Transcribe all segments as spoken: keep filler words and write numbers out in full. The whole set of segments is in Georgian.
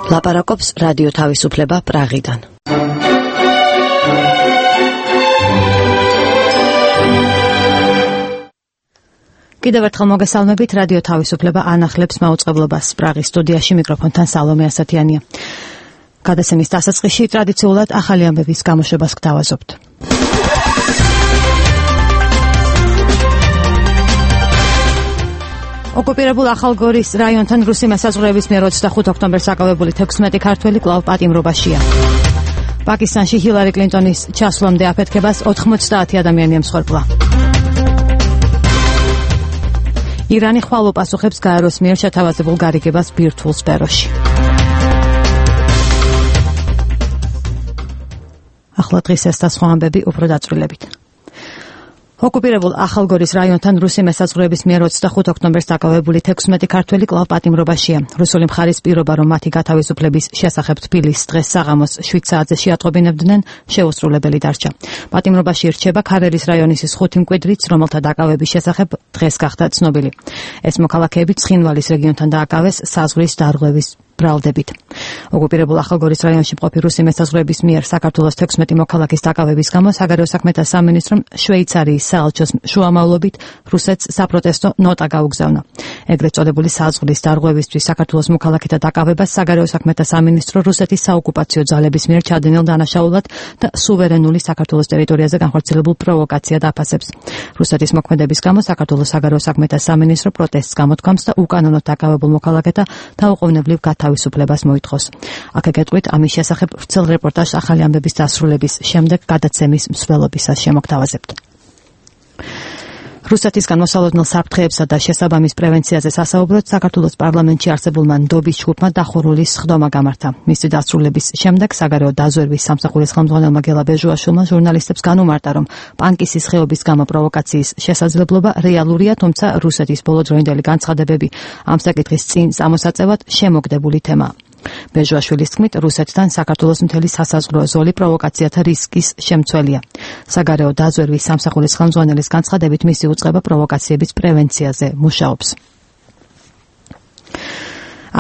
ლაპარაკობს რადიო თავისუფლება პრაღიდან. კიდევ ერთხელ მოგესალმებით, რადიო თავისუფლება ანახლებს მაუწყებლობას პრაღის სტუდიაში, მიკროფონთან სალომე ასათიანია. გადაცემის დასაწყისში ტრადიციულად ახალი ამბების გამოშვებას გთავაზობთ. ოკუპირებულ ახალგორის რაიონთან რუსი მესაზღვრეების მიერ ოცდახუთ ოქტომბერს აკავებული თექვსმეტი ქართველი კვლავ პატიმრობაშია. პაკისტანში ჰილარი კლინტონის ჩასვლამდე აფეთქებას ოთხმოცდაათი ადამიანი ემსხვერპლა. ირანი ხვალ უპასუხებს გაეროს მიერ შეთავაზებულ გარიგებას ბირთვულ სფეროში. ახლა დღის ეს და სხვა ამბები უფრო დაწვრილებით. ოკუპირებულ ახალგორის რაიონთან რუსი მესაზღვრეების მიერ ოცდახუთ ოქტომბერს დაკავებული თექვსმეტი ქართველი კვლავ პატიმრობაშია. რუსული მხარის პირობა, რომ მათი გათავისუფლების შესახებ თბილის დღეს საღამოს შვიდ საათზე შეატყობინებდნენ, შეუსრულებელი დარჩა. პატიმრობაში ირჩება ქარელის რაიონის ხუთი მკვიდრიც, რომელთა დაკავების შესახებ დღეს გახდა ცნობილი. ეს მოქალაქეები ცხინვალის რეგიონთან დააკავეს საზღვრის დარღვევის ბრალდებით. ოკუპირებულ ახალგორის რაიონში მყოფი რუსი მესაზღვრეების მიერ საქართველოს თექვსმეტი მოქალაქის დაკავების გამო საგარეო საქმეთა სამინისტრომ შვეიცარიის საელჩოს შუამავლობით რუსეთს საპროტესტო ნოტა გაუგზავნა. ეგრეთ წოდებული საზღვრის დარღვევისთვის საქართველოს მოქალაქეთა დაკავებას საგარეო საქმეთა სამინისტრო რუსეთის საოკუპაციო ძალების მიერ ჩადენილ დანაშაულად და სუვერენული საქართველოს ტერიტორიაზე განხორციელებულ პროვოკაციად აფასებს. რუსეთის მოქმედების გამო საქართველოს საგარეო საქმეთა სამინისტრო პროტესტს გამოთქვამს და უკანონოდ დაკავებულ მოქალაქეთა დაუყოვნებლივ თავისუფლებას მოითხოვს. აქ-აკეთვით ამის შესახებ ვრცელ რეპორტაჟს ახალი ამბების დასრულების შემდეგ გადაცემის მსვლელობისას შემოგთავაზებთ. რუსეთისგან მოსალოდნელ საფრთხეებსა და შესაბამის პრევენციაზე სასაუბროდ საქართველოს პარლამენტში არსებულმა ნდობის ჯგუფმა დახურულის სხდომა გამართა. მისი დასრულების შემდეგ საგარეო დაზვერვის სამსახურის ხელმძღვანელმა გელა ბეჟუაშვილმა ჟურნალისტებს განუმარტა, რომ პანკისის ხეობის გამო პროვოკაციის შესაძლებლობა რეალურია, თუმცა რუსეთის ბოლოდროინდელი განცხადებები ამ საკითხის წინ წამოსაწევად შემოგდებული თემაა. ბეჟუაშვილის თქმით, რუსეთთან საქართველოს მთელი სასაზღვრო ზოლი პროვოკაციათა რისკის შემცველია. საგარეო დაზვერვის სამსახურის ხელმძღვანელის განცხადებით, მისი უწყება პროვოკაციების პრევენციაზე მუშაობს.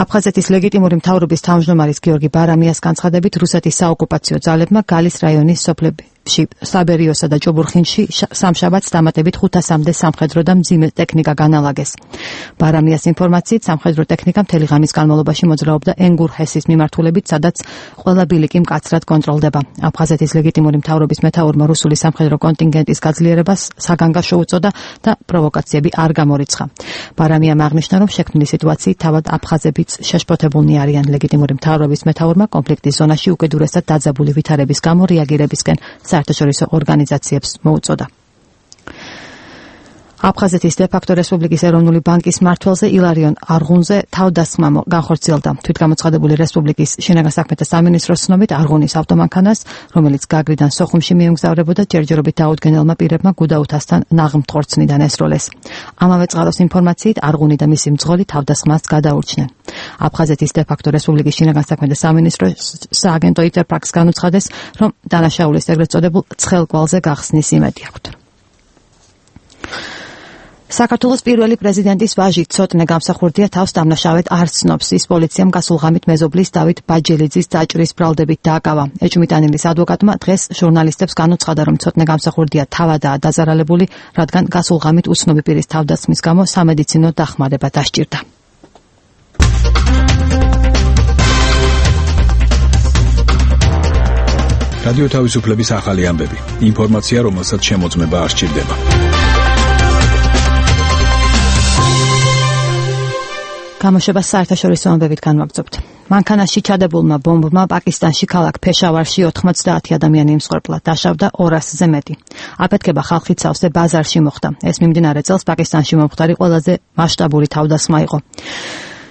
აფხაზეთის ლეგიტიმური მთავრობის თავმჯდომარის გიორგი ბარამიას განცხადებით, რუსეთის საოკუპაციო ძალებმა გალის რაიონის სოფლებში საბერიოსა და ჭუბურხინში სამშაბათს დამატებით ხუთასამდე სამხედრო და მძიმე ტექნიკა განალაგეს. ბარამიას ინფორმაციით, სამხედრო ტექნიკა მთელი ღამის განმავლობაში მოძრაობდა ენგურჰესის მიმართულებით, სადაც ყველა ბილიკი მკაცრად კონტროლდება. აფხაზეთის ლეგიტიმური მთავრობის მეთაურმა რუსული სამხედრო კონტინგენტის გაძლიერებას საგანგაშო უწოდა და პროვოკაციები არ გამორიცხა. ბარამიამ აღნიშნა, რომ შექმნილი სიტუაციით თავად აფხაზებიც შეშფოთებულნი არიან. ლეგიტიმური მთავრობის მეთაურმა კონფლიქტის ზონაში უკიდურესად დაძაბული ვითარების გამო რეაგირებისკენ საერთაშორისო ორგანიზაციებს მოუწოდა. აფხაზეთის დე-ფაქტო რესპუბლიკის ეროვნული ბანკის მმართველზე ილარიონ არღუნზე თავდასხმა განხორციელდა. თვითგამოცხადებული რესპუბლიკის შინაგან საქმეთა სამინისტროს ცნობით, არღუნის ავტომანქანას, რომელიც გაგრიდან სოხუმში მიემგზავრებოდა, ჯერჯერობით დაუდგენელმა პირებმა გუდაუთასთან ნაღმთქორცნიდან ესროლეს. ამავე წყაროს ინფორმაციით, არღუნი და მისი მძღოლი თავდასხმას გადაურჩნენ. აფხაზეთის დე-ფაქტო რესპუბლიკის შინაგან საქმეთა სამინისტროს სააგენტო იტერ-ფაქტს განუცხადეს, რომ დანაშაულის ეგრეთ წოდებულ ცხელკვალზე გახსნის იმედი აქვთ. საქართველოს პირველი პრეზიდენტის ვაჟი ცოტნე გამსახურდია თავს დამნაშავედ არ ცნობს. ის პოლიციამ გასულ ღამით მეზობლის დავით ბაჯელიძის დაჭრის ბრალდებით დააკავა. ეჭვმიტანილის ადვოკატმა დღეს ჟურნალისტებს განუცხადა, რომ ცოტნე გამსახურდია თავადაა დაზარალებული, რადგან გასულ ღამით უცნობი პირის თავდასხმის გამო სამედიცინო დახმარება დასჭირდა. რადიო თავისუფლების ახალი ამბები. ინფორმაცია, რომელსაც შემოწმება არ სჭირდება. გამოშვებას საერთაშორისო ამბებით განვაგრძობთ. მანქანაში ჩადებულმა ბომბმა პაკისტანში ქალაქ ფეშავარში ოთხმოცდაათი ადამიანი იმსხვერპლა, დაშავდა ორასზე მეტი. აფეთქება ხალხით სავსე ბაზარში მოხდა. ეს მიმდინარე წელს პაკისტანში მომხდარი ყველაზე მასშტაბური თავდასხმა იყო.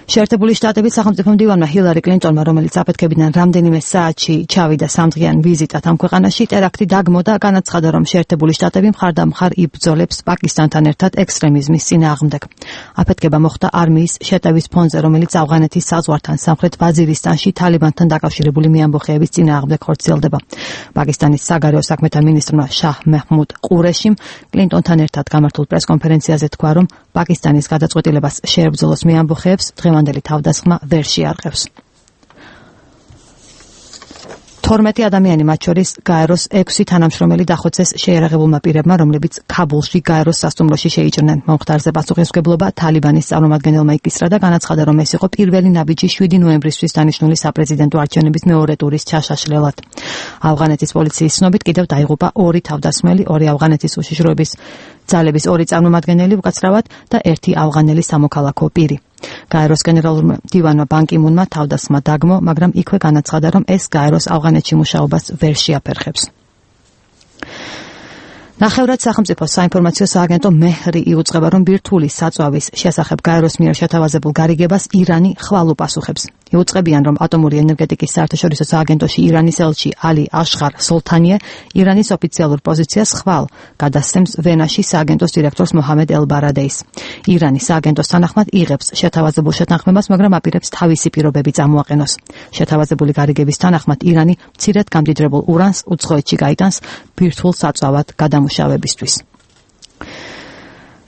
შეერთებული შტატების სახელმწიფო მდივანმა ჰილარი კლინტონმა, რომელიც აფეთქებიდან რამდენიმე საათში ჩავიდა სამდღიან ვიზიტად ამ ქვეყანაში, ტერაქტი დაგმო და განაცხადა, რომ შეერთებული შტატები მხარდამხარ იბრძოლებს პაკისტანთან ერთად ექსტრემიზმის წინააღმდეგ. აფეთქება მოხდა არმიის შეტევის ფონზე, რომელიც ავღანეთის საზღვართან სამხრეთ ვაზირისტანში თალიბანთან დაკავშირებული მეამბოხეების წინააღმდეგ ხორციელდება. პაკისტანის საგარეო საქმეთა მინისტრმა შაჰ მეჰმუდ ყურეშიმ კლინტონთან ერთად გამართულ პრესკონფერენციაზე თქვა, რომ პაკისტანის გადაწყვეტილებას შეებრძოლოს მეამბოხეებს დღევანდელი თავდასხმა ვერ შეარყევს. თორმეტი ადამიანი, მათ შორის გაეროს ექვსი თანამშრომელი დახოცეს შეიარაღებულმა პირებმა, რომლებიც ქაბულში გაეროს სასტუმროში შეიჭრნენ. მომხდარზე პასუხისმგებლობა თალიბანის წარმომადგენელმა იკისრა და განაცხადა, რომ ეს იყო პირველი ნაბიჯი შვიდი ნოემბრისთვის დანიშნული საპრეზიდენტო არჩევნების მეორე ტურის ჩაშაშლელად. ავღანეთის პოლიციის ცნობით კიდევ დაიღუპა ორი თავდასხმელი, ორი ავღანეთის უშიშროების ძალების ორი წარმომადგენელი უკაცრავად და ერთი ავღანელი სამოქალაქო პირი. გაეროს გენერალურმა დივანმა ბან კი მუნმა თავდასხმა დაგმო, მაგრამ იქვე განაცხადა, რომ ეს გაეროს ავღანეთში მუშაობას ვერ შეაფერხებს. ნახევრად სახელმწიფო საინფორმაციო სააგენტო მეჰრი იუწყება, რომ ბირთვული საწვავის შესახებ გაეროს მიერ შეთავაზებულ გარიგებას ირანი ხვალ უპასუხებს. იუწყებიან, რომ ატომური ენერგეტიკის საერთაშორისო სააგენტოში ირანის ელჩი ალი აშხარ სოლთანიე ირანის ოფიციალურ პოზიციას ხვალ გადასცემს ვენაში სააგენტოს დირექტორს მოჰამედ ელ-ბარადეის. ირანი სააგენტოს თანახმად იღებს შეთავაზებულ შეთანხმებას, მაგრამ აპირებს თავისი პირობები წამოაყენოს. შეთავაზებული გარიგების თანახმად ირანი მცირედ გამდიდრებულ ურანს უცხოეთში გაიტანს ბირთვულ საწვავად გადამუშავებისთვის.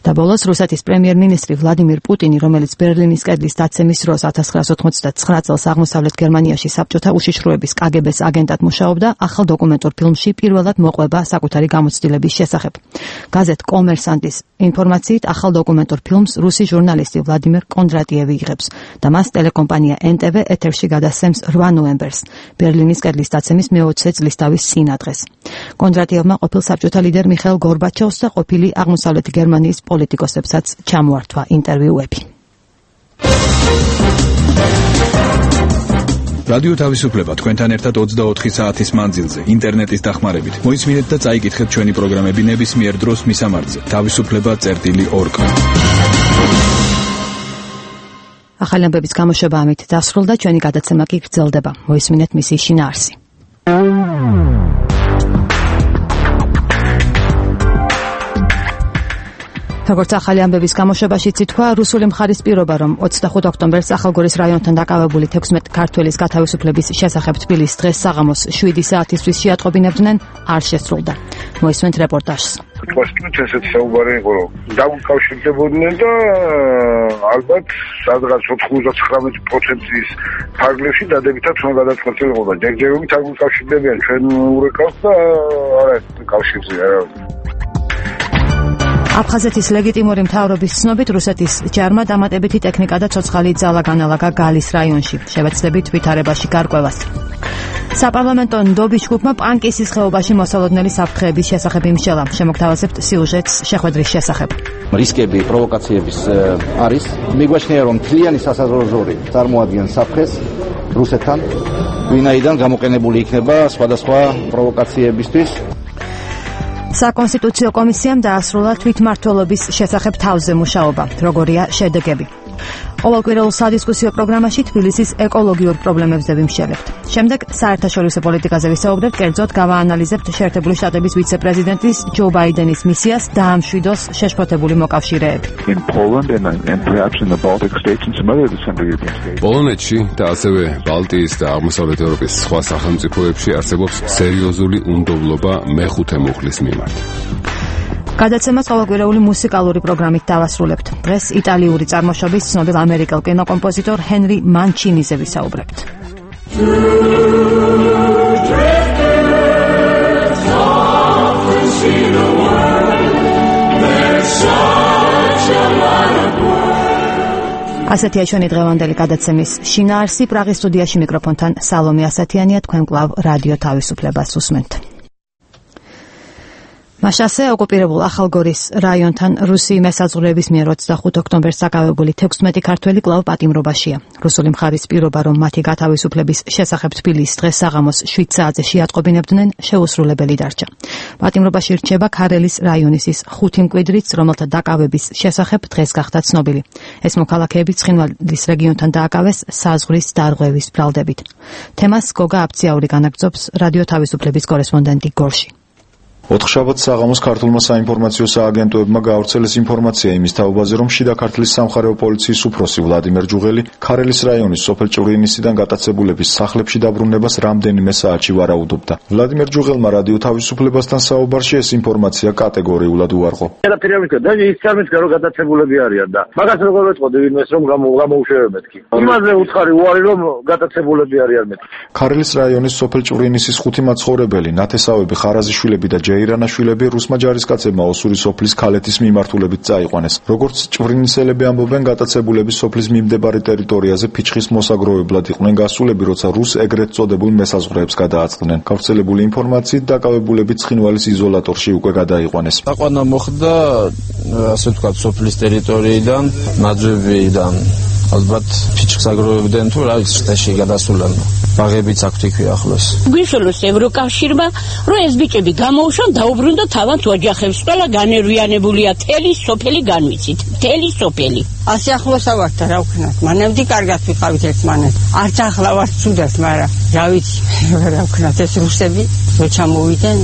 და ბოლოს რუსეთის პრემიერ-მინისტრი ვლადიმირ პუტინი, რომელიც ბერლინის კედლის დაცემის დროს ათას ცხრაასი ოცდათხმეტ წელს აღმოსავლეთ გერმანიაში საბჭოთა უშიშროების კაგებეს აგენტად მუშაობდა, ახალ დოკუმენტურ ფილმში პირველად მოყვება საკუთარი გამოცდილების შესახებ. გაზეთ კომერსანტის ინფორმაციით, ახალ დოკუმენტურ ფილმს რუსი ჟურნალისტი ვლადიმერ კონდრატიევი იღებს და მას ტელეკომპანია ენ ტე ვე ეთერში გადასცემს რვა ნოემბერს, ბერლინის კედლის დაცემის მეოცე წლისთავის წინადღეს. კონდრატიევმა ყოფილ საბჭოთა ლიდერ მიხაილ გორბაჩოვს და ყოფილი აღმოსავლეთი გერმანიის პოლიტიკოსებსაც ჩამოართვა ინტერვიუები. რადიო თავისუფლება თქვენთან ერთად ოცდაოთხი საათის მანძილზე ინტერნეტის დახმარებით. მოისმინეთ და წაიკითხეთ ჩვენი პროგრამები ნებისმიერ დროს მისამართზე თავისუფლება წერტილი ორ კა. ახალი ამბების გამოშვება ამით დასრულდა, ჩვენი გადაცემა კი გრძელდება. მოისმინეთ მისი შინაარსი. როგორც ახალი ამბების გამოშვებაში ითქვა, რუსული მხარის პირობა, რომ ოცდახუთ ოქტომბერს ახალგორის რაიონთან დაკავებული თექვსმეტი ქართველის გათავისუფლების შესახებ თბილისის დღეს საღამოს შვიდი საათისთვის შეატყობინებდნენ, არ შესრულდა. მოისმენთ რეპორტაჟს. Պաստուց ესეც საუბარი იყო, რომ დაუკავშირდებოდნენ და ალბათ სადღაც ოთხმოცდათხრამეტ პროცენტის ფარგლებში დადებითად უნდა გადაწყვეტილებოდა. ჯერჯერობით არ უკავშირდებიან ჩვენ ურეკავს და არა კავშირზე არა. აფხაზეთის ლეგიტიმური მთავრობის ცნობით, რუსეთის ჯარმა დამატებითი ტექნიკა და ცოცხალი ძალა განალაგა გალის რაიონში, შევეცდებით ვითარებაში გარკვევას. საპარლამენტო ნდობის ჯგუფმა პანკისის ხეობაში მოსალოდნელი საფრთხეების შესახებ იმსჯელა. შემოგთავაზებთ სიუჟეტს შეხვედრის შესახებ. რისკები, პროვოკაციების არის. მიგვაჩნია, რომ მთლიანი სასაზღვრო წარმოადგენს საფრთხეს რუსეთთან, ვინაიდან გამოყენებული იქნება სხვადასხვა პროვოკაციებისთვის. საკონსტიტუციო კომისიამ დაასრულა თვითმმართველობის შესახებ თავზე მუშაობა. როგორია შედეგები? ყოველკვირეულ სადისკუსიო პროგრამაში თბილისის ეკოლოგიურ პრობლემებზე ვიმსჯელებთ. შემდეგ საერთაშორისო პოლიტიკაზე ვისაუბრებთ, კერძოდ გავაანალიზებთ შეერთებული შტატების ვიცე-პრეზიდენტის ჯო ბაიდენის მისიას დაამშვიდოს შეშფოთებული მოკავშირეები. პოლონეთში და ასევე ბალტიის და აღმოსავლეთ ევროპის სხვა სახელმწიფოებში არსებობს სერიოზული უნდობლობა მეხუთე მუხლის მიმართ. გადაცემას ყოველკვირეული მუსიკალური პროგრამით დავასრულებთ. დღეს იტალიური წარმოშობის ცნობილ ამერიკელ კინოკომპოზიტორ ჰენრი მანჩინიზე ვისაუბრებთ. ასეთია ჩვენი დღევანდელი გადაცემის შინაარსი. პრაღის სტუდიაში მიკროფონთან სალომე ასათიანია, თქვენ კვლავ რადიო თავისუფლებას უსმენთ. მაშასე ოკუპირებულ ახალგორის რაიონთან რუსი მესაზღვრეების მიერ ოცდახუთ ოქტომბერს დაკავებული თექვსმეტი ქართველი კვლავ პატიმრობაშია. რუსული მხარის პირობა, რომ მათი გათავისუფლების შესახებ თბილისის დღეს საღამოს შვიდ საათზე შეატყობინებდნენ, შეუსრულებელი დარჩა. პატიმრობაში რჩება ქარელის რაიონის ის ხუთი მკვიდრიც, რომელთა დაკავების შესახებ დღეს გახდა ცნობილი. ეს მოქალაქეები ცხინვალის რეგიონთან დააკავეს საზღვრის დარღვევის ბრალდებით. თემას გოგა აფციაური განაგრძობს რადიო თავისუფლების კორესპონდენტი გორში. ოთხშაბათს საღამოს ქართულმა საინფორმაციო სააგენტოებმა გაავრცელეს ინფორმაცია იმის თაობაზე, რომ შიდა ქართლის სამხარეო პოლიციის უფროსი ვლადიმერ ჯუღელი ქარელის რაიონის სოფელ ჭვრინისიდან გატაცებულების სახლებში დაბრუნებას რამდენიმე საათში ვარაუდობდა. ვლადიმერ ჯუღელმა რადიო თავისუფლებასთან საუბარში ეს ინფორმაცია კატეგორიულად უარყო. გატაცებულები არიან და მაგას როგორ ვეწყოდი ვინმეს რომ გამოუშვებებთ კი. იმაზე უცხარი უარი რომ გატაცებულები არიან მე. ქარელის რაიონის სოფელ ჭვრინისის ხუთი მაცხოვრებელი ნათესავები ხარაზიშვილები და ჯეირანაშვილები რუსმა ჯარისკაცებმა ოსური სოფლის ქალეთის მიმართულებით წაიყვანეს. როგორც ჭვრინისელები ამბობენ, გატაცებულები სოფლის მიმდებარე ტერიტორიაზე ფიჩხის მოსაგროვებლად იყვნენ გასულები, როცა რუს ეგრეთ წოდებულ მესაზღვრეებს გადააწყდნენ. გავრცელებული ინფორმაციით დაკავებულები ცხინვალის იზოლატორში უკვე გადაიყვანეს. აყვანა მოხდა ასე ვთქვათ სოფლის ტერიტორიიდან, მაძვებიდან, ალბათ ფიჩხს აგროვებდნენ თუ რა ვიცი შტეში გადასულან. ბაღებიც აქვთ იქვე ახლოს. გვიშველოს ევროკავშირმა, რომ ეს ბიჭები გამოუშვან დაუბრუნდა თავად ოჯახებს. ყველა განერვიანებულია, თელი სოფელი განვიცით. თელი სოფელი. ასე ახლოსა ვართ და რა ვქნათ. მანამდე კარგად ვიყავით ერთმანეთ. არც ახლა ვართ ცუდად, მაგრამ რა ვიცი, რა ვქნათ ეს რუსები როცა მოვიდნენ,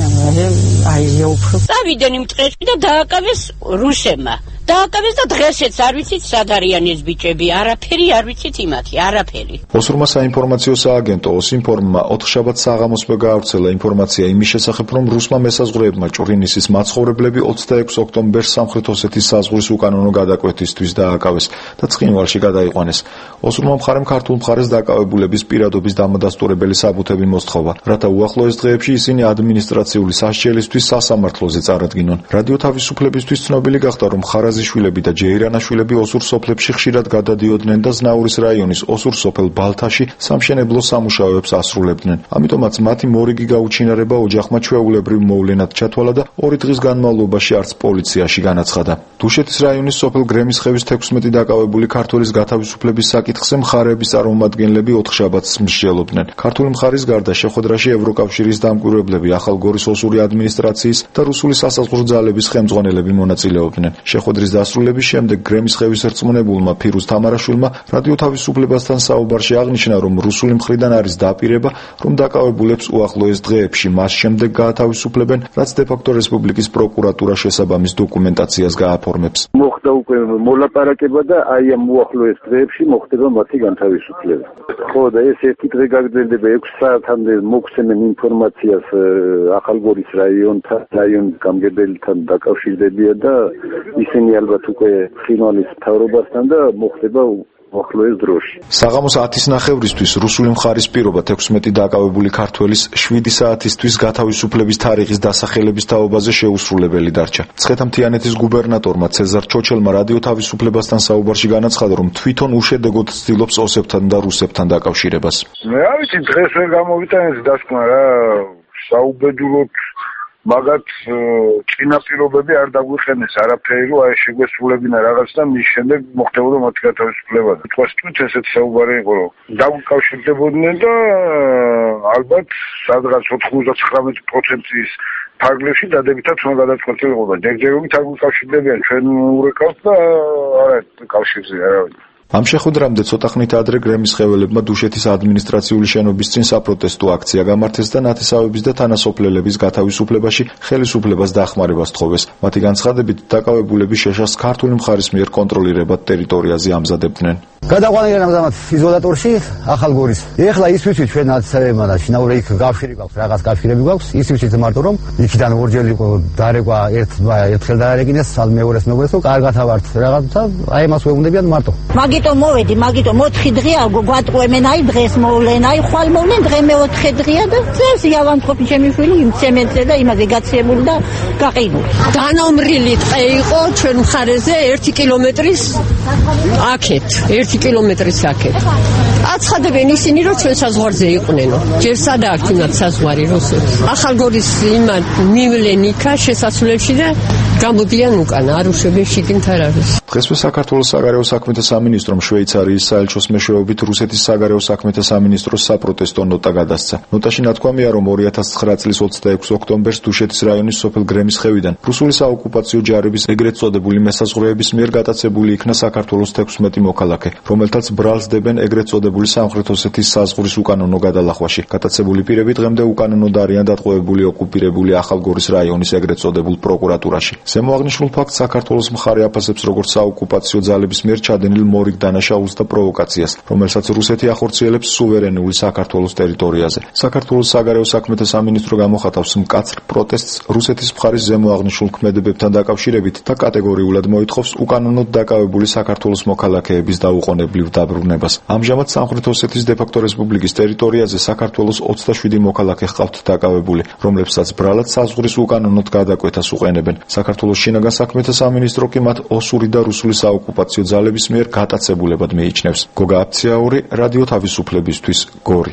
აი უფრო. წავიდნენ იმ წრეში და დააკავეს რუსებმა. დააკავეს და დღესაც არ ვიცით სად არიან ეს ბიჭები, არაფერი არ ვიცით იმათი, არაფერი. ოსურმა საინფორმაციო სააგენტო ოსინფორმმა ოთხშაბათს საღამოსვე გაავრცელა ინფორმაცია იმის შესახებ, რომ რუსმა მესაზღვრეებმა ჭვრინისის მაცხოვრებლები ოცდაექვსი ოქტომბერს სამხრეთ ოსეთის საზღვრის უკანონო გადაკვეთისთვის დააკავეს და ცხინვალში გადაიყვანეს. ოსურმა მხარემ ქართულ მხარეს დაკავებულების პირადობის დამადასტურებელი საბუთები მოსთხოვა, რათა უახლოეს დღეებში ისინი ადმინისტრაციული სასჯელისთვის სასამართლოზე წარადგინონ. რადიო თავისუფლებისთვის ცნობილი გახდა, რომ ხარაზიშვილები და ჯეირანაშვილები ოსურ სოფლებში ხშირად გადადიოდნენ და ზნაურის რაიონის ოსურ სოფელ ბალთაში სამშენებლო სამუშაოებს ასრულებდნენ. ამიტომაც მათი მორიგი გაუჩინარება ოჯახმა ჩვეულებრივ მოვლენად ჩათვალა და ორი დღის განმავლობაში არც პოლიციაში განაცხადა. დუშეთის რაიონის სოფელ გრემისხევის თექვსმეტი დაკავებული ქართველის გათავისუფლების საკითხზე მხარეების წარმომადგენლები ოთხშაბათს მსჯელობდნენ. ქართული მხარის გარდა შეხვედრაში ევროკავშირის დამკვირვებლები, ახალგორის ოსური ადმინისტრაციის და რუსული სასაზღვრო ძალების ხელმძღვანელები მონაწილეობდნენ. შეხვედრის დასრულების შემდეგ გრემისხევის რწმუნებულმა ფირუზ თამარაშვილმა რადიო თავისუფლებასთან საუბარში აღნიშნა, რომ რუსული მხრიდან არის დაპირება, რომ დაკავებულებს უახლოეს დღეებში მას შემდეგ გაათავისუფლებენ, რაც დე-ფაქტო რესპუბლიკის პროკურატურა შესაბამის დოკუმენტაციას გააფორმებს. მოხდა უკვე მოლაპარაკება და აი ამ უახლოეს დღეებში მოხდება მათი განთავისუფლება. ხო და ეს ერთი დღე გაგრძელდება ექვსი საათამდე მოგცემენ ინფორმაციას ახალგორის რაიონთან, რაიონის გამგებელთან დაკავშირდებიან და ისინი ალბათ უკვე ცხინვალის მთავრობასთან და მოხდება უახლოეს დროში. საღამოს ათის ნახევრისთვის რუსული მხარის პირობა თექვსმეტი დაკავებული ქართველის შვიდი საათისთვის გათავისუფლების თარიღის დასახელების თაობაზე შეუსრულებელი დარჩა. მცხეთა-მთიანეთის გუბერნატორმა ცეზარ ჩოჩელმა რადიო თავისუფლებასთან საუბარში განაცხადა, რომ თვითონ უშედეგოდ ცდილობს ოსებთან და რუსებთან დაკავშირებას. მე არ ვიცი, დღეს ვერ გამოვიტანეს დასკვნა რა, საუბედუროდ მაგათ წინაპირობები არ დაგვიყენეს არაფერი, რომ აი შეგვესრულებინა რაღაც და მის შემდეგ მოხდებოდა მათი გათავისუფლება. თქვა თვით ესეც საუბარი იყო, რომ დაუკავშირდებოდნენ და ალბათ სადღაც ოთხმოცდათხრამეტი პროცენტის ფარგლებში დადებითად უნდა გადაწყვეტილებოდა. ჯერჯერობით არ უკავშირდებიან, ჩვენ ურეკავთ და არა კავშირზე არავინ. ამ შეხვედრამდე ცოტა ხნით ადრე გრემისხეველებმა დუშეთის ადმინისტრაციული შენობის წინ საპროტესტო აქცია გამართეს და ნათესავების და თანასოფლელების გათავისუფლებაში ხელისუფლებას დახმარებას თხოვეს. მათი განცხადებით, დაკავებულები შეშას ქართული მხარის მიერ კონტროლირებად ტერიტორიაზე ამზადებდნენ. გადაყვანილან ამჟამად იზოლატორში ახალგორის. ეხლა ის ვიცით ჩვენ ნათესავებმა და შინაური იქ გავშირი გვაქვს, რაღაც გავშირები გვაქვს, ის ვიცით მარტო რომ იქიდან ორჯერ იყო დარეკვა ერთ ერთხელ დაარეკინეს, მეორეს მეგობრებს რომ კარგად ავართ რაღაცა, აი მას ვეუბნებიან მარტო. მაგიტომ მოვედი, მაგიტომ ოთხი დღეა გვატყვემენ, აი დღეს მოვლენ, აი ხვალ მოვლენ, დღე მეოთხე დღეა და წეს იავანთყოფი ჩემი შვილი იმ ცემენტზე და იმაზე გაცემული და გაყიდული. დანომრილი ტყე იყო ჩვენ მხარეზე ერთი კილომეტრის აქეთ, ერთი კილომეტრის აქეთ. აცხადებენ ისინი, რომ ჩვენ საზღვარზე იყვნენო. ჯერ სადა აქ თუნდაც საზღვარი რუსეთს. ახალგორის იმან მივლენ იქა შესასვლელში და გამოდიან უკან, არ უშვებენ შიგნით არ არის. დღესვე საქართველოს საგარეო საქმეთა სამინისტრომ შვეიცარიის საელჩოს მეშვეობით რუსეთის საგარეო საქმეთა სამინისტროს საპროტესტო ნოტა გადასცა. ნოტაში ნათქვამია, რომ ორი ათას ცხრა წლის ოცდაექვსი ოქტომბერს დუშეთის რაიონის სოფელ გრემის ხევიდან რუსული საოკუპაციო ჯარების ეგრეთ წოდებული მესაზღვრეების მიერ გატაცებული იქნა საქართველოს თექვსმეტი მოქალაქე, რომელთაც ბრალს დებენ ეგრეთ წოდებული სამხრეთ ოსეთის საზღვრის უკანონო გადალახვაში. გატაცებული პირები დღემდე უკანონოდ არიან დატყვევებული ოკუპირებული ახალგორის რაიონის ეგრეთ წოდებულ პროკურატურაში. ზემოაღნიშნულ ფაქტს საქართველოს მხარე აფასებს როგორც საოკუპაციო ძალების მიერ ჩადენილ მორიგ დანაშაულს და პროვოკაციას, რომელსაც რუსეთი ახორციელებს სუვერენული საქართველოს ტერიტორიაზე. საქართველოს საგარეო საქმეთა სამინისტრო გამოხატავს მკაცრ პროტესტს რუსეთის მხარის ზემოაღნიშნულ ქმედებებთან დაკავშირებით და კატეგორიულად მოითხოვს უკანონოდ დაკავებული საქართველოს მოქალაქეების დაუყოვნებლივ დაბრუნებას. ამჟამად სამხრეთ ოსეთის დე-ფაქტო რესპუბლიკის ტერიტორიაზე საქართველოს ოცდაშვიდი მოქალაქე ჰყავთ დაკავებული, რომლებსაც ბრალად საზღვრის უკანონოდ გადაკვეთას უყენებენ. საქართველოს შინაგან საქმეთა სამინისტრო კი მათ ოსური და რუსული საოკუპაციო ძალების მიერ გატაცებულებად მიიჩნევს. გოგა აფციაური, რადიო თავისუფლებისთვის, გორი.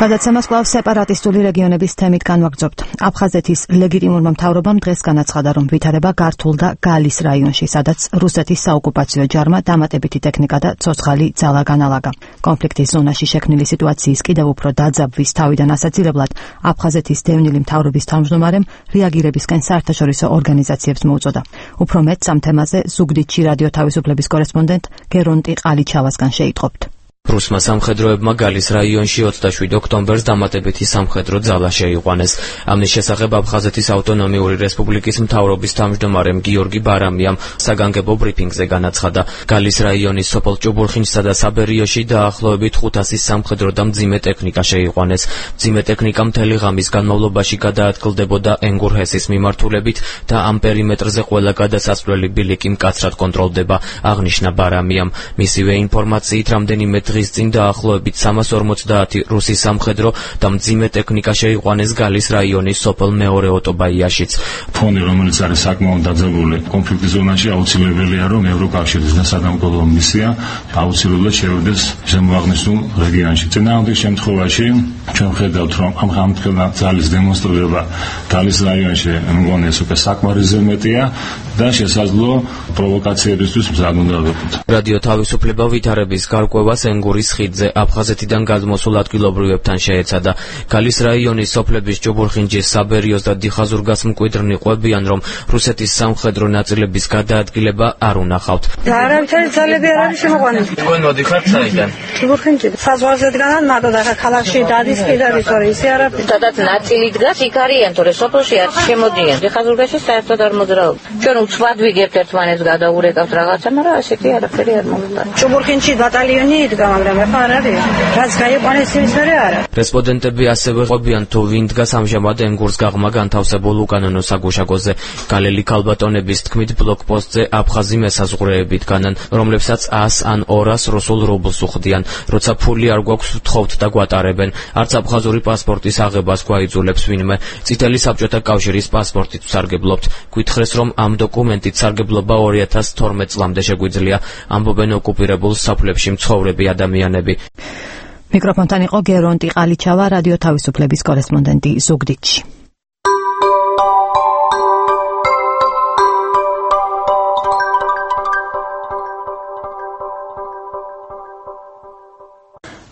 გადაცემას კვლავ სეპარატისტული რეგიონების თემით განვაგრძობთ. აფხაზეთის ლეგიტიმურმა მთავრობამ დღეს განაცხადა, რომ ვითარება გართულ და გალის რაიონში, სადაც რუსეთის საოკუპაციო ჯარმა დამატებითი ტექნიკა და ცოცხალი ძალა განალაგა. კონფლიქტის ზონაში შექმნილი სიტუაციის კიდევ უფრო დაძაბვის თავიდან ასაცილებლად აფხაზეთის დევნილი მთავრობის თავმჯდომარემ რეაგირებისკენ საერთაშორისო ორგანიზაციებს მოუწოდა. უფრო მეტ ამ თემაზე ზუგდიდში რადიო თავისუფლების კორესპონდენტ გერონტი ყალიჩავასგან შეიტყობთ. რუსმა სამხედროებმა გალის რაიონში ოცდაშვიდი ოქტომბერს დამატებითი სამხედრო ძალა შეიყვანეს. ამის შესახებ აფხაზეთის ავტონომიური რესპუბლიკის მთავრობის თავმჯდომარემ გიორგი ბარამიამ საგანგებო ბრიფინგზე განაცხადა, გალის რაიონის სოფელ ჭუბურხინსა და საბერიოში დაახლოებით ხუთასი სამხედრო და მძიმე ტექნიკა შეიყვანეს. მძიმე ტექნიკა მთელი ღამის განმავლობაში გადაადგილდებოდა ენგურჰესის მიმართულებით და ამ პერიმეტრზე ყველა გადასასვლელი ბილიკი მკაცრად კონტროლდება, აღნიშნა ბარამიამ. მისივე ინფორმაციით რამდენიმე დღის წინ დაახლოებით სამას ორმოცდაათი რუსი სამხედრო და მძიმე ტექნიკა შეიყვანეს გალის რაიონის სოფელ მეორე ოტობაიაშიც. ფონი, რომელიც არის საკმაოდ დაძაბული კონფლიქტის ზონაში, აუცილებელია, რომ ევროკავშირის და სადამკვირვებლო მისია აუცილებლად შევიდეს ზემოაღნიშნულ რეგიონში. წინააღმდეგ შემთხვევაში ჩვენ ხედავთ, რომ ამ გამთქელნა ძალის დემონსტრირება გალის რაიონში მგონი ეს უკვე საკმარისზე მეტია და შესაძლო პროვოკაციებისთვის მზად უნდა ვიყოთ. რადიო თავისუფლება ვითარების გარკვევას ენგურის ხიდზე აფხაზეთიდან გადმოსულ ადგილობრივებთან შეეცადა. გალის რაიონის სოფლების ჭუბურხინჯის, საბერიოს და დიხაზურგას მკვიდრნი ყვებიან, რომ რუსეთის სამხედრო ნაწილების გადაადგილება არ უნახავთ. და არავითარი ძალები არ არის შემოყვანილი. თქვენ მოდიხართ საიდან? ჭუბურხინჯი. საზღვარზე დგანან, მაგრამ და ქალაქში დადის კიდარი სწორი ისე არაფერი. სადაც ნაწილი დგას, იქ არიან, თორე სოფელში არ შემოდიან. დიხაზურგაში საერთოდ არ მოძრაობ. ჩვენ უცბად ვიგებთ ერთმანეთს გადაურეკავთ რაღაცა, მაგრამ ასეთი არაფერი არ მოხდა. ჭუბურხინჯი ბატალიონი იდგა, მაგრამ ეხლა არ არის. რაც გაიყვანეს ის ვერ არა. რესპონდენტები ასევე ყვებიან, თუ ვინ დგას ამჟამად ენგურს გაღმა განთავსებულ უკანონო საგუშაგოზე. გალელი ქალბატონების თქმით, ბლოკპოსტზე აფხაზი მესაზღვრეები დგანან, რომლებსაც ას ან ორას რუსულ რუბლს უხდიან. როცა ფული არ გვაქვს, ვთხოვთ და გვატარებენ. არც აფხაზური პასპორტის აღებას გვაიძულებს ვინმე. წითელი საბჭოთა კავშირის პასპორტით ვსარგებლობთ. გვითხრეს, რომ ამ დოკუმენტით სარგებლობა ორი ათას თორმეტ წლამდე შეგვიძლია, ამბობენ ოკუპირებულ სოფლებში მცხოვრები ადამიანები. მიკროფონთან იყო გერონტი ყალიჩავა, რადიო თავისუფლების კორესპონდენტი ზუგდიდში.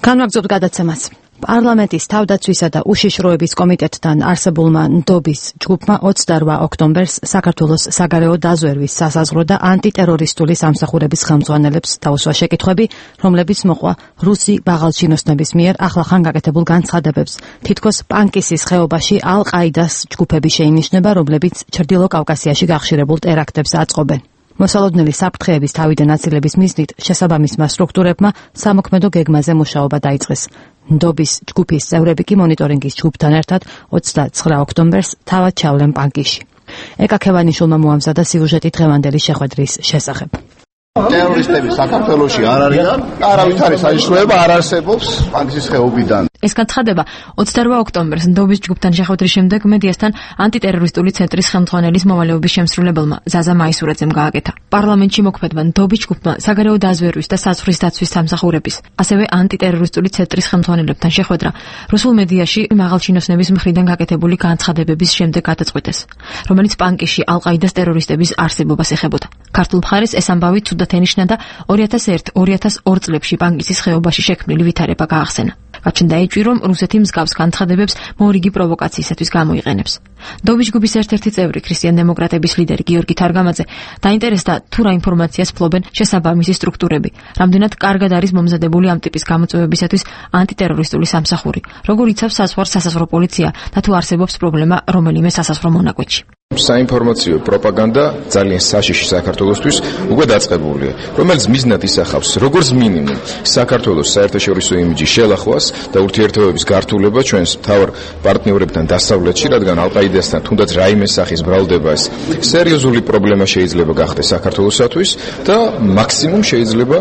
განვაგრძობთ გადაცემას. პარლამენტის თავდაცვისა და უშიშროების კომიტეტთან არსებულმა ნდობის ჯგუფმა ოცდაოთხ ოქტომბერს საქართველოს საგარეო დაზვერვის, სასაზღვრო და ანტიტერორისტული სამსახურების ხელმძღვანელებს დაუსვა შეკითხვები, რომლებიც მოყვა რუსი ბაღალჩინოსნების მიერ ახლახან გაკეთებულ განცხადებებს. თითქოს პანკისის ხეობაში ალ-ყაიდას ჯგუფები შეინიშნება, რომლებიც ჩრდილო კავკასიაში გახშირებულ ტერაქტებს აწყობენ. მოსალოდნელი საფრთხეების თავიდან აცილების მიზნით შესაბამისმა სტრუქტურებმა სამოქმედო გეგმაზე მუშაობა დაიწყეს. ნდობის ჯგუფის წევრები კი მონიტორინგის ჯგუფთან ერთად ოცდაცხრა ოქტომბერს თავად ჩავლენ პანკისში. ეკა ქევანიშვილმა მოამზადა სიუჟეტი დღევანდელი შეხვედრის შესახებ. ტერორისტები საქართველოში არ არიან, არავითარი საშიშროება არ არსებობს პანკისის ხეობიდან. ეს განცხადება ოცდაორ ოქტომბერს ნდობის ჯგუფთან შეხვედრის შემდეგ მედიასთან ანტიტერორისტული ცენტრის ხელმძღვანელის მოვალეობის შემსრულებელმა ზაზა მაისურაძემ გააკეთა. პარლამენტში მოქმედმა ნდობის ჯგუფმა საგარეო დაზვერვის და საზღვრის დაცვის სამსახურების, ასევე ანტიტერორისტული ცენტრის ხელმძღვანელებთან შეხვედრა რუსულ მედიაში მაღალჩინოსნების მხრიდან გაკეთებული განცხადებების შემდეგ გადაწყვეტეს, რომელიც პანკისში ალ-ყაიდას ტერორისტების არსებობას ეხებოდა. ქართულ მხარეს ეს ამბავი ცუდად ენიშნა და ორი ათას ერთ ორი ათას ორ წლებში პანკისის ხეობაში შექმნილი ვითარება გაახსენა. გაჩნდა ეჭვი, რომ რუსეთი მსგავს განცხადებებს მორიგი პროვოკაციისათვის გამოიყენებს. ნდობის ჯგუფის ერთ-ერთი წევრი, ქრისტიან-დემოკრატების ლიდერი გიორგი თარგამაძე, დაინტერესდა თუ რა ინფორმაციას ფლობენ შესაბამისი სტრუქტურები, რამდენად კარგად არის მომზადებული ამ ტიპის გამოწვევებისათვის ანტიტერორისტული სამსახური, როგორ იცავს საზღვარს სასაზღვრო პოლიცია და თუ არსებობს პრობლემა რომელიმე სასაზღვრო მონაკვეთში. საინფორმაციო პროპაგანდა ძალიან საშიში საქართველოსთვის უკვე დაწყებულია, რომელიც მიზნად ისახავს როგორც მინიმუმ საქართველოს საერთაშორისო იმიჯის შელახვას და ურთიერთობების გართულება ჩვენს მთავარ პარტნიორებთან დასავლეთში, რადგან ალ-ყაიდასთან თუნდაც რაიმე სახის ბრალდება ეს სერიოზული პრობლემა შეიძლება გახდეს საქართველოსათვის და მაქსიმუმ შეიძლება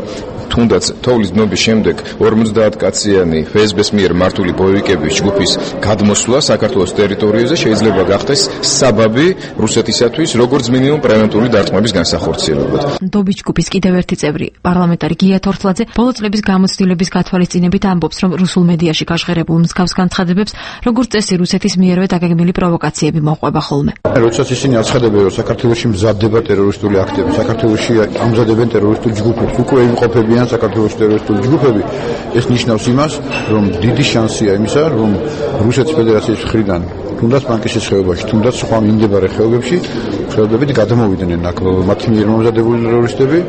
თუნდაც თოვლის დნობის შემდეგ ორმოცდაათ კაციანი ფსბ-ს მიერ მართული ბოევიკების ჯგუფის გადმოსვლა საქართველოს ტერიტორიაზე შეიძლება გახდეს საბაბი რუსეთისათვის როგორც მინიმუმ პრევენტული დარტყმების განსახორციელებად. ნდობის ჯგუფის კიდევ ერთი წევრი, პარლამენტარი გია თორთლაძე, ბოლო წლების გამოცდილების გათვალისწინებით ამბობს, რომ რუსულ მედიაში გაჟღერებულ მსგავს განცხადებებს, როგორც წესი რუსეთის მიერვე დაგეგმილი პროვოკაციები მოჰყვება ხოლმე. როდესაც ისინი აცხადებენ, რომ საქართველოში მზადდება ტერორისტული აქტები, საქართველოში ამზადებენ ტერორისტულ ჯგუფებს, უკვე იმყოფებიან საქართველოს ტერორისტული ჯგუფები, ეს ნიშნავს იმას, რომ დიდი შანსია იმისა, რომ რუსეთის ფედერაციის მხრიდან თუნდაც პანკისის ხეობაში, თუნდაც სხვა მიმდებარე ხეობებში ხელობებით გადამოვიდნენ აქ მათი მიერ მომზადებული ტერორისტები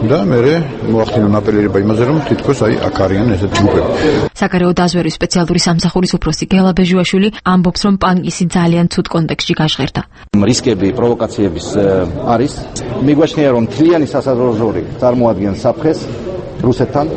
და მერე მოახდინონ აპელირება იმაზე, რომ თითქოს აი აქ არიან ესეთი ჯგუფები. საგარეო დაზვერვის სპეციალური სამსახურის უფროსი გელა ბეჟუაშვილი ამბობს, რომ პანკისი ძალიან ცუდ კონტექსტში გაჟღერდა. რისკები პროვოკაციების არის. მიგვაჩნია, რომ მთლიანი სასაზღვრო ზოლი წარმოადგენს საფრთხეს რუსეთთან,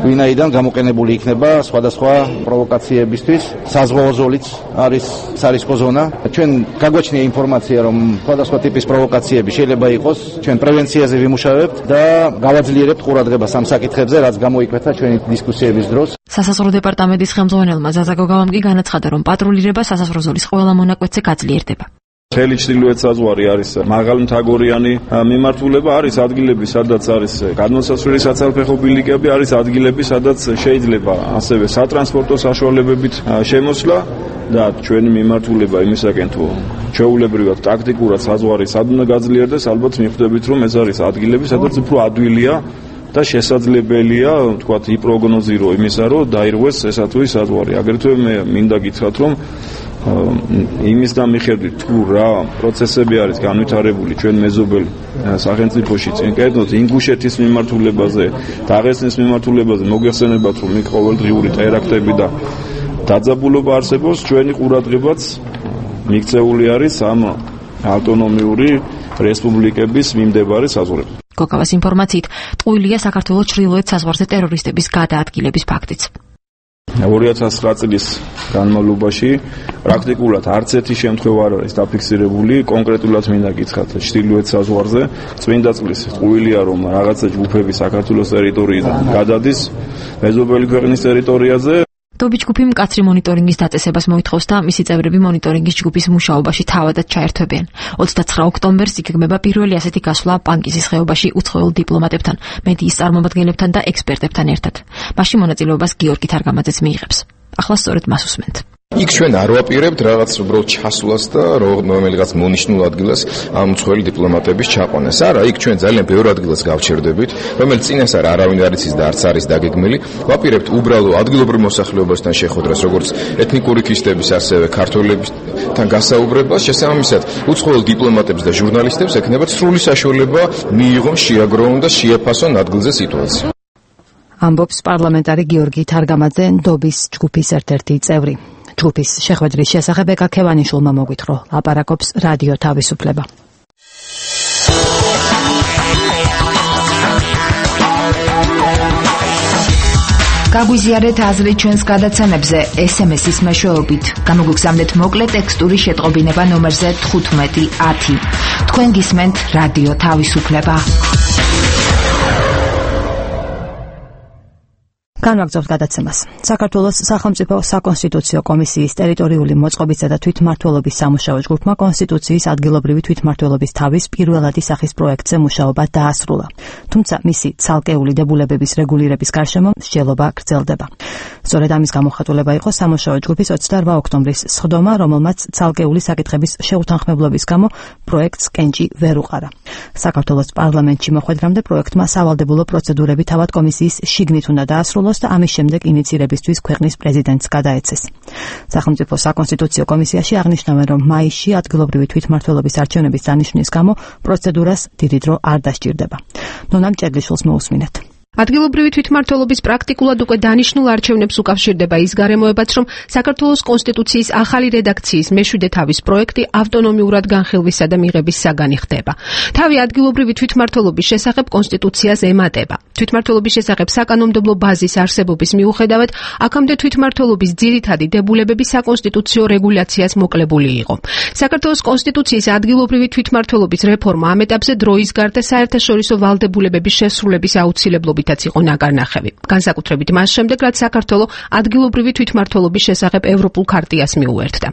ვინაიდან გამოყენებული იქნება სხვადასხვა პროვოკაციებისთვის. საზღვაო ზოლიც არის სარისკო ზონა. ჩვენ გაგვაჩნია ინფორმაცია, რომ სხვადასხვა ტიპის პროვოკაციები შეიძლება იყოს. ჩვენ პრევენციაზე ვიმუშავებთ და გავაძლიერებთ ყურადღებას ამ საკითხებზე, რაც გამოიკვეთა ჩვენი დისკუსიების დროს. სასაზღვრო დეპარტამენტის ხელმძღვანელმა ზაზა გოგავამ კი განაცხადა, რომ პატრულირება სასაზღვრო ზოლის ყველა მონაკვეთზე გაძლიერდება. მთელი ჩრდილოეთ საზღვარი არის მაღალმთაგორიანი მიმართულება, არის ადგილები, სადაც არის გადმოსასვლელი საცალფეხო ბილიკები, არის ადგილები, სადაც შეიძლება ასევე სატრანსპორტო საშუალებებით შემოსვლა და ჩვენი მიმართულება იმისაკენ თუ ჩვეულებრივად ტაქტიკურად საზღვარი სად უნდა გაძლიერდეს, ალბათ მიხვდებით, რომ ეს არის ადგილები, სადაც უფრო ადვილია და შესაძლებელია, თქვათ, იპროგნოზირო იმისა, რომ დაირღვეს ესა თუ ის საზღვარი. აგრეთვე მე მინდა გითხრათ, რომ იმის და მიხედვით თუ რა პროცესები არის განვითარებული ჩვენ მეზობელ სახელმწიფოში წინ კეთდოთ ინგუშეთის მიმართულებაზე, დაღესტნის მიმართულებაზე, მოგეხსენებათ, რომ იქ ყოველდღიური ტერაქტები და დაძაბულობა არსებობს, ჩვენი ყურადღებაც მიქცეული არის ამ ავტონომიური რესპუბლიკების მიმდებარე საზღვრებზე. გოგავას ინფორმაციით, ტყუილია საქართველოს ჩრდილოეთ საზღვარზე ტერორისტების გადაადგილების ფაქტიც. ორი ათას ცხრა წლის განმავლობაში პრაქტიკულად არც ერთი შემთხვევა არ არის დაფიქსირებული, კონკრეტულად მინდა გითხრათ ჩრდილოეთ საზღვარზე წმინდა წყლის ტყუილია, რომ რაღაცა ჯგუფები საქართველოს ტერიტორიიდან გადადის მეზობელი ქვეყნის ტერიტორიაზე. ნდობის ჯგუფი მკაცრი მონიტორინგის დაწესებას მოითხოვს და მისი წევრები მონიტორინგის ჯგუფის მუშაობაში თავადაც ჩაერთვებიან. ოცდაცხრა ოქტომბერს იგეგმება პირველი ასეთი გასვლა პანკისის ხეობაში უცხოელ დიპლომატებთან, მედიის წარმომადგენლებთან და ექსპერტებთან ერთად. მასში მონაწილეობას გიორგი თარგამაძეც მიიღებს. ახლა სწორედ მას უსმენთ. იქ ჩვენ არ ვაპირებთ რაღაც უბრალოდ ჩასვლას და რომელიღაც მონიშნულ ადგილას ამ უცხოელი დიპლომატების ჩაყვანას. არა, იქ ჩვენ ძალიან ბევრ ადგილას გავჩერდებით, რომელიც წინასწარ არავინ არ იცის და არც არის დაგეგმილი. ვაპირებთ უბრალო ადგილობრივ მოსახლეობასთან შეხვედრას, როგორც ეთნიკური ქისტების, ასევე ქართველებთან გასაუბრებას. შესაბამისად, უცხოელ დიპლომატებს და ჟურნალისტებს ექნებათ სრული საშუალება მიიღონ, შეაგროვონ და შეაფასონ ადგილზე სიტუაცია. ამბობს პარლამენტარი გიორგი თარგამაძე, ნდობის ჯგუფის ერთ-ერთი წევრი. ჯგუფის შეხვედრის შესახებ ეკა ქევანიშვილმა მოგვითხრა, ლაპარაკობს რადიო თავისუფლება. გაგვიზიარეთ აზრი ჩვენს გადაცემებზე ეს ემ ესის მეშვეობით. გამოგგზავნეთ მოკლე ტექსტური შეტყობინება ნომერზე თხუთმეტი ათი. თქვენ გისმენთ რადიო თავისუფლება. განვაგრძობთ გადაცემას. საქართველოს სახელმწიფო საკონსტიტუციო კომისიის ტერიტორიული მოწყობისა და თვითმმართველობის სამუშაო ჯგუფმა კონსტიტუციის ადგილობრივი თვითმმართველობის თავის პირველადი სახის პროექტზე მუშაობა დაასრულა. თუმცა მისი ცალკეული დებულებების რეგულირების გარშემო მსჯელობა გრძელდება. სწორედ ამის გამოხატულება იყო სამუშაო ჯგუფის ოცდაორმა ოქტომბრის სხდომა, რომელმაც ცალკეული საკითხების შეუთანხმებლობის გამო პროექტს კენჭი ვერ უყარა. საქართველოს პარლამენტში მოხვედრამდე პროექტმა სავალდებულო პროცედურები თავად კომისიის შიგნით უნდა დაასრულოს და ამის შემდეგ ინიცირებისთვის ქვეყნის პრეზიდენტს გადაეცეს. სახელმწიფო საკონსტიტუციო კომისიაში აღნიშნავენ, რომ მაისში ადგილობრივი თვითმმართველობის არჩევნების დანიშვნის გამო პროცედურას დიდი დრო არ დასჭირდება. ნონამ ჭედლიშვილს მოусმინეთ. ადგილობრივი თვითმმართველობის პრაქტიკულად უკვე დანიშნულ არჩევნებს უკავშირდება ის გარემოებაც, რომ საქართველოს კონსტიტუციის ახალი რედაქციის მეშვიდე თავის პროექტი ავტონომიურად განხილვისა და მიღების საგანი ხდება. თავი ადგილობრივი თვითმმართველობის შესახებ კონსტიტუციას ემატება. თვითმმართველობის შესახებ საკანონმდებლო ბაზის არსებობის მიუხედავად, აქამდე თვითმმართველობის ძირითადი დებულებები საკონსტიტუციო რეგულაციას მოკლებული იყო. საქართველოს კონსტიტუციის ადგილობრივი თვითმმართველობის რეფორმა ამ ეტაპზე დროის გარდა საერთაშორისო ვალდებულებების შესრულების აუცილებლობით იყო ნაკარნახევი. განსაკუთრებით მას შემდეგ, რაც საქართველო ადგილობრივი თვითმმართველობის შესახებ ევროპულ ქარტიას მიუერთდა.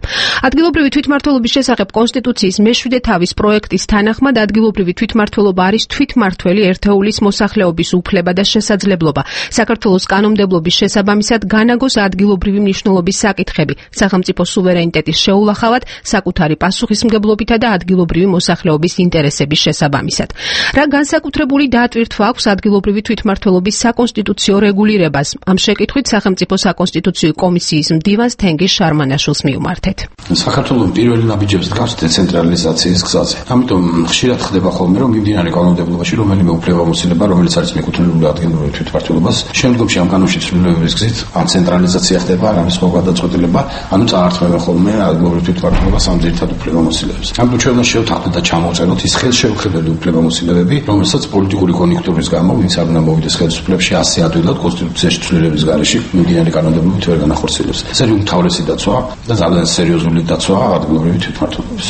ადგილობრივი თვითმმართველობის შესახებ კონსტიტუციის მეშვიდე თავის პროექტის თანახმად ადგილობრივი თვითმმართველობა არის თვითმმართველი ერთეულის მოსახლეობის უფლება და შესაძლებლობა. საქართველოს კანონმდებლობის შესაბამისად განაგოს ადგილობრივი მნიშვნელობის საკითხები სახელმწიფო სუვერენიტეტის შეულახავად, საკუთარი პასუხისმგებლობითა და ადგილობრივი მოსახლეობის ინტერესების შესაბამისად. რა განსაკუთრებული დაატვირთვა აქვს ადგილობრივი თვითმმართველობის საკონსტიტუციო რეგულირებას? ამ შეკითხვით სახელმწიფო საკონსტიტუციო კომისიის მდივანს თენგიზ შარმანაშვილს მივმართეთ. საქართველოს პირველი ნაბიჯებს დგას დეცენტრალიზაციის გზაზე. ამიტომ ხშირად ხდება ხოლმე, რომ მიმდინარე კანონმდებლობაში რომელიმე უფლებამოსილება, რომელიც არის მიკუთვნილებული ადგილობრივ თვითმმართველობას, შემდგომში ამ კანონში ცვლილებების გზით ან ცენტრალიზაცია ხდება, ან ამის მოგვადაწყვეტილება, ანუ წაართმევენ ხოლმე ადგილობრივ თვითმმართველობას ამ ძირითად უფლებამოსილებებს. ამიტომ ჩვენ უნდა შევთანხმდეთ და ჩამოვწეროთ ის ხელშეუხებელი უფლებამოსილებები, რომელსაც პოლიტიკური კონიუნქტურის გამო ვინც არ უნდა მოვიდეს ხელისუფლებაში ასე ადვილად კონსტიტუციაში ცვლილების გარეშე მიმდინარე კანონმდებლობით ვერ განახორციელებს. ეს არის უმთავრესი დაცვა და ძალიან სერიოზული დაცვა ადგილობრივი თვითმმართველობის.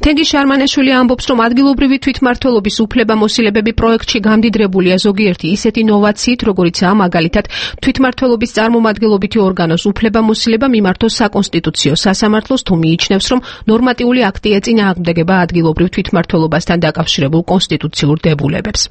თენგიზ შარმანაშვილი ამბობს, რომ ადგილობრივი თვითმმართველობის უფლებამოსილებები პროექტში გამდიდრებულია ზოგიერთი ისეთი ნოვაციით, როგორიცაა მაგალითად თვითმმართველობის წარმომადგენლობითი ორგანოს უფლებამოსილება მიმართოს საკონსტიტუციო სასამართლოს, თუ მიიჩნევს, რომ ნორმატიული აქტი ეწინააღმდეგება ადგილობრივ თვითმმართველობასთან დაკავშირებულ კონსტიტუციურ დებულებებს.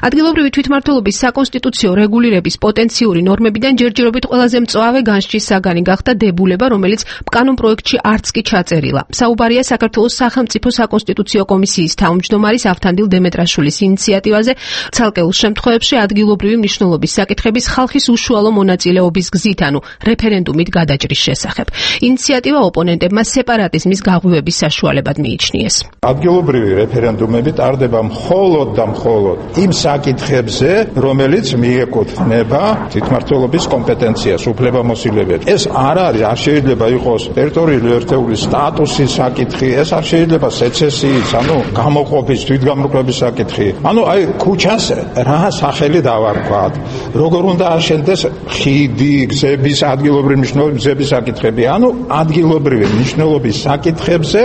ადგილობრივი თვითმმართველობის საკონსტიტუციო რეგულირების პოტენციური ნორმებიდან ჯერჯერობით ყველაზე მწვავე განსჯის საგანი გახდა დებულება, რომელიც კანონ პროექტში არც კი ჩაწერილა. საუბარია საქართველოს სახელმწიფო საკონსტიტუციო კომისიის თავმჯდომარის ავთანდილ დემეტრაშვილის ინიციატივაზე ცალკეულ შემთხვევებში ადგილობრივი მნიშვნელობის საკითხების ხალხის უშუალო მონაწილეობის გზით, ანუ რეფერენდუმით გადაჭრის შესახებ. ინიციატივა ოპონენტებმა სეპარატიზმის გაღვივების საშუალებად მიიჩნიეს. ადგილობრივი რეფერენდუმები ტარდება მხოლოდ და მხოლოდ იმ საკითხებზე, რომელიც მიეკუთვნება თვითმმართველობის კომპეტენციას, უფლებამოსილებებს. ეს არ არის, არ შეიძლება იყოს ტერიტორიული ერთეულის სტატუსის საკითხი, ეს არ შეიძლება სეცესიის, ანუ გამოყოფის, თვითგამოყოფის საკითხი. ანუ აი ქუჩას რა სახელი დავარქვათ, როგორ უნდა აშენდეს ხიდი, გზების, ადგილობრივი მნიშვნელობის გზების საკითხები. ანუ ადგილობრივი მნიშვნელობის საკითხებზე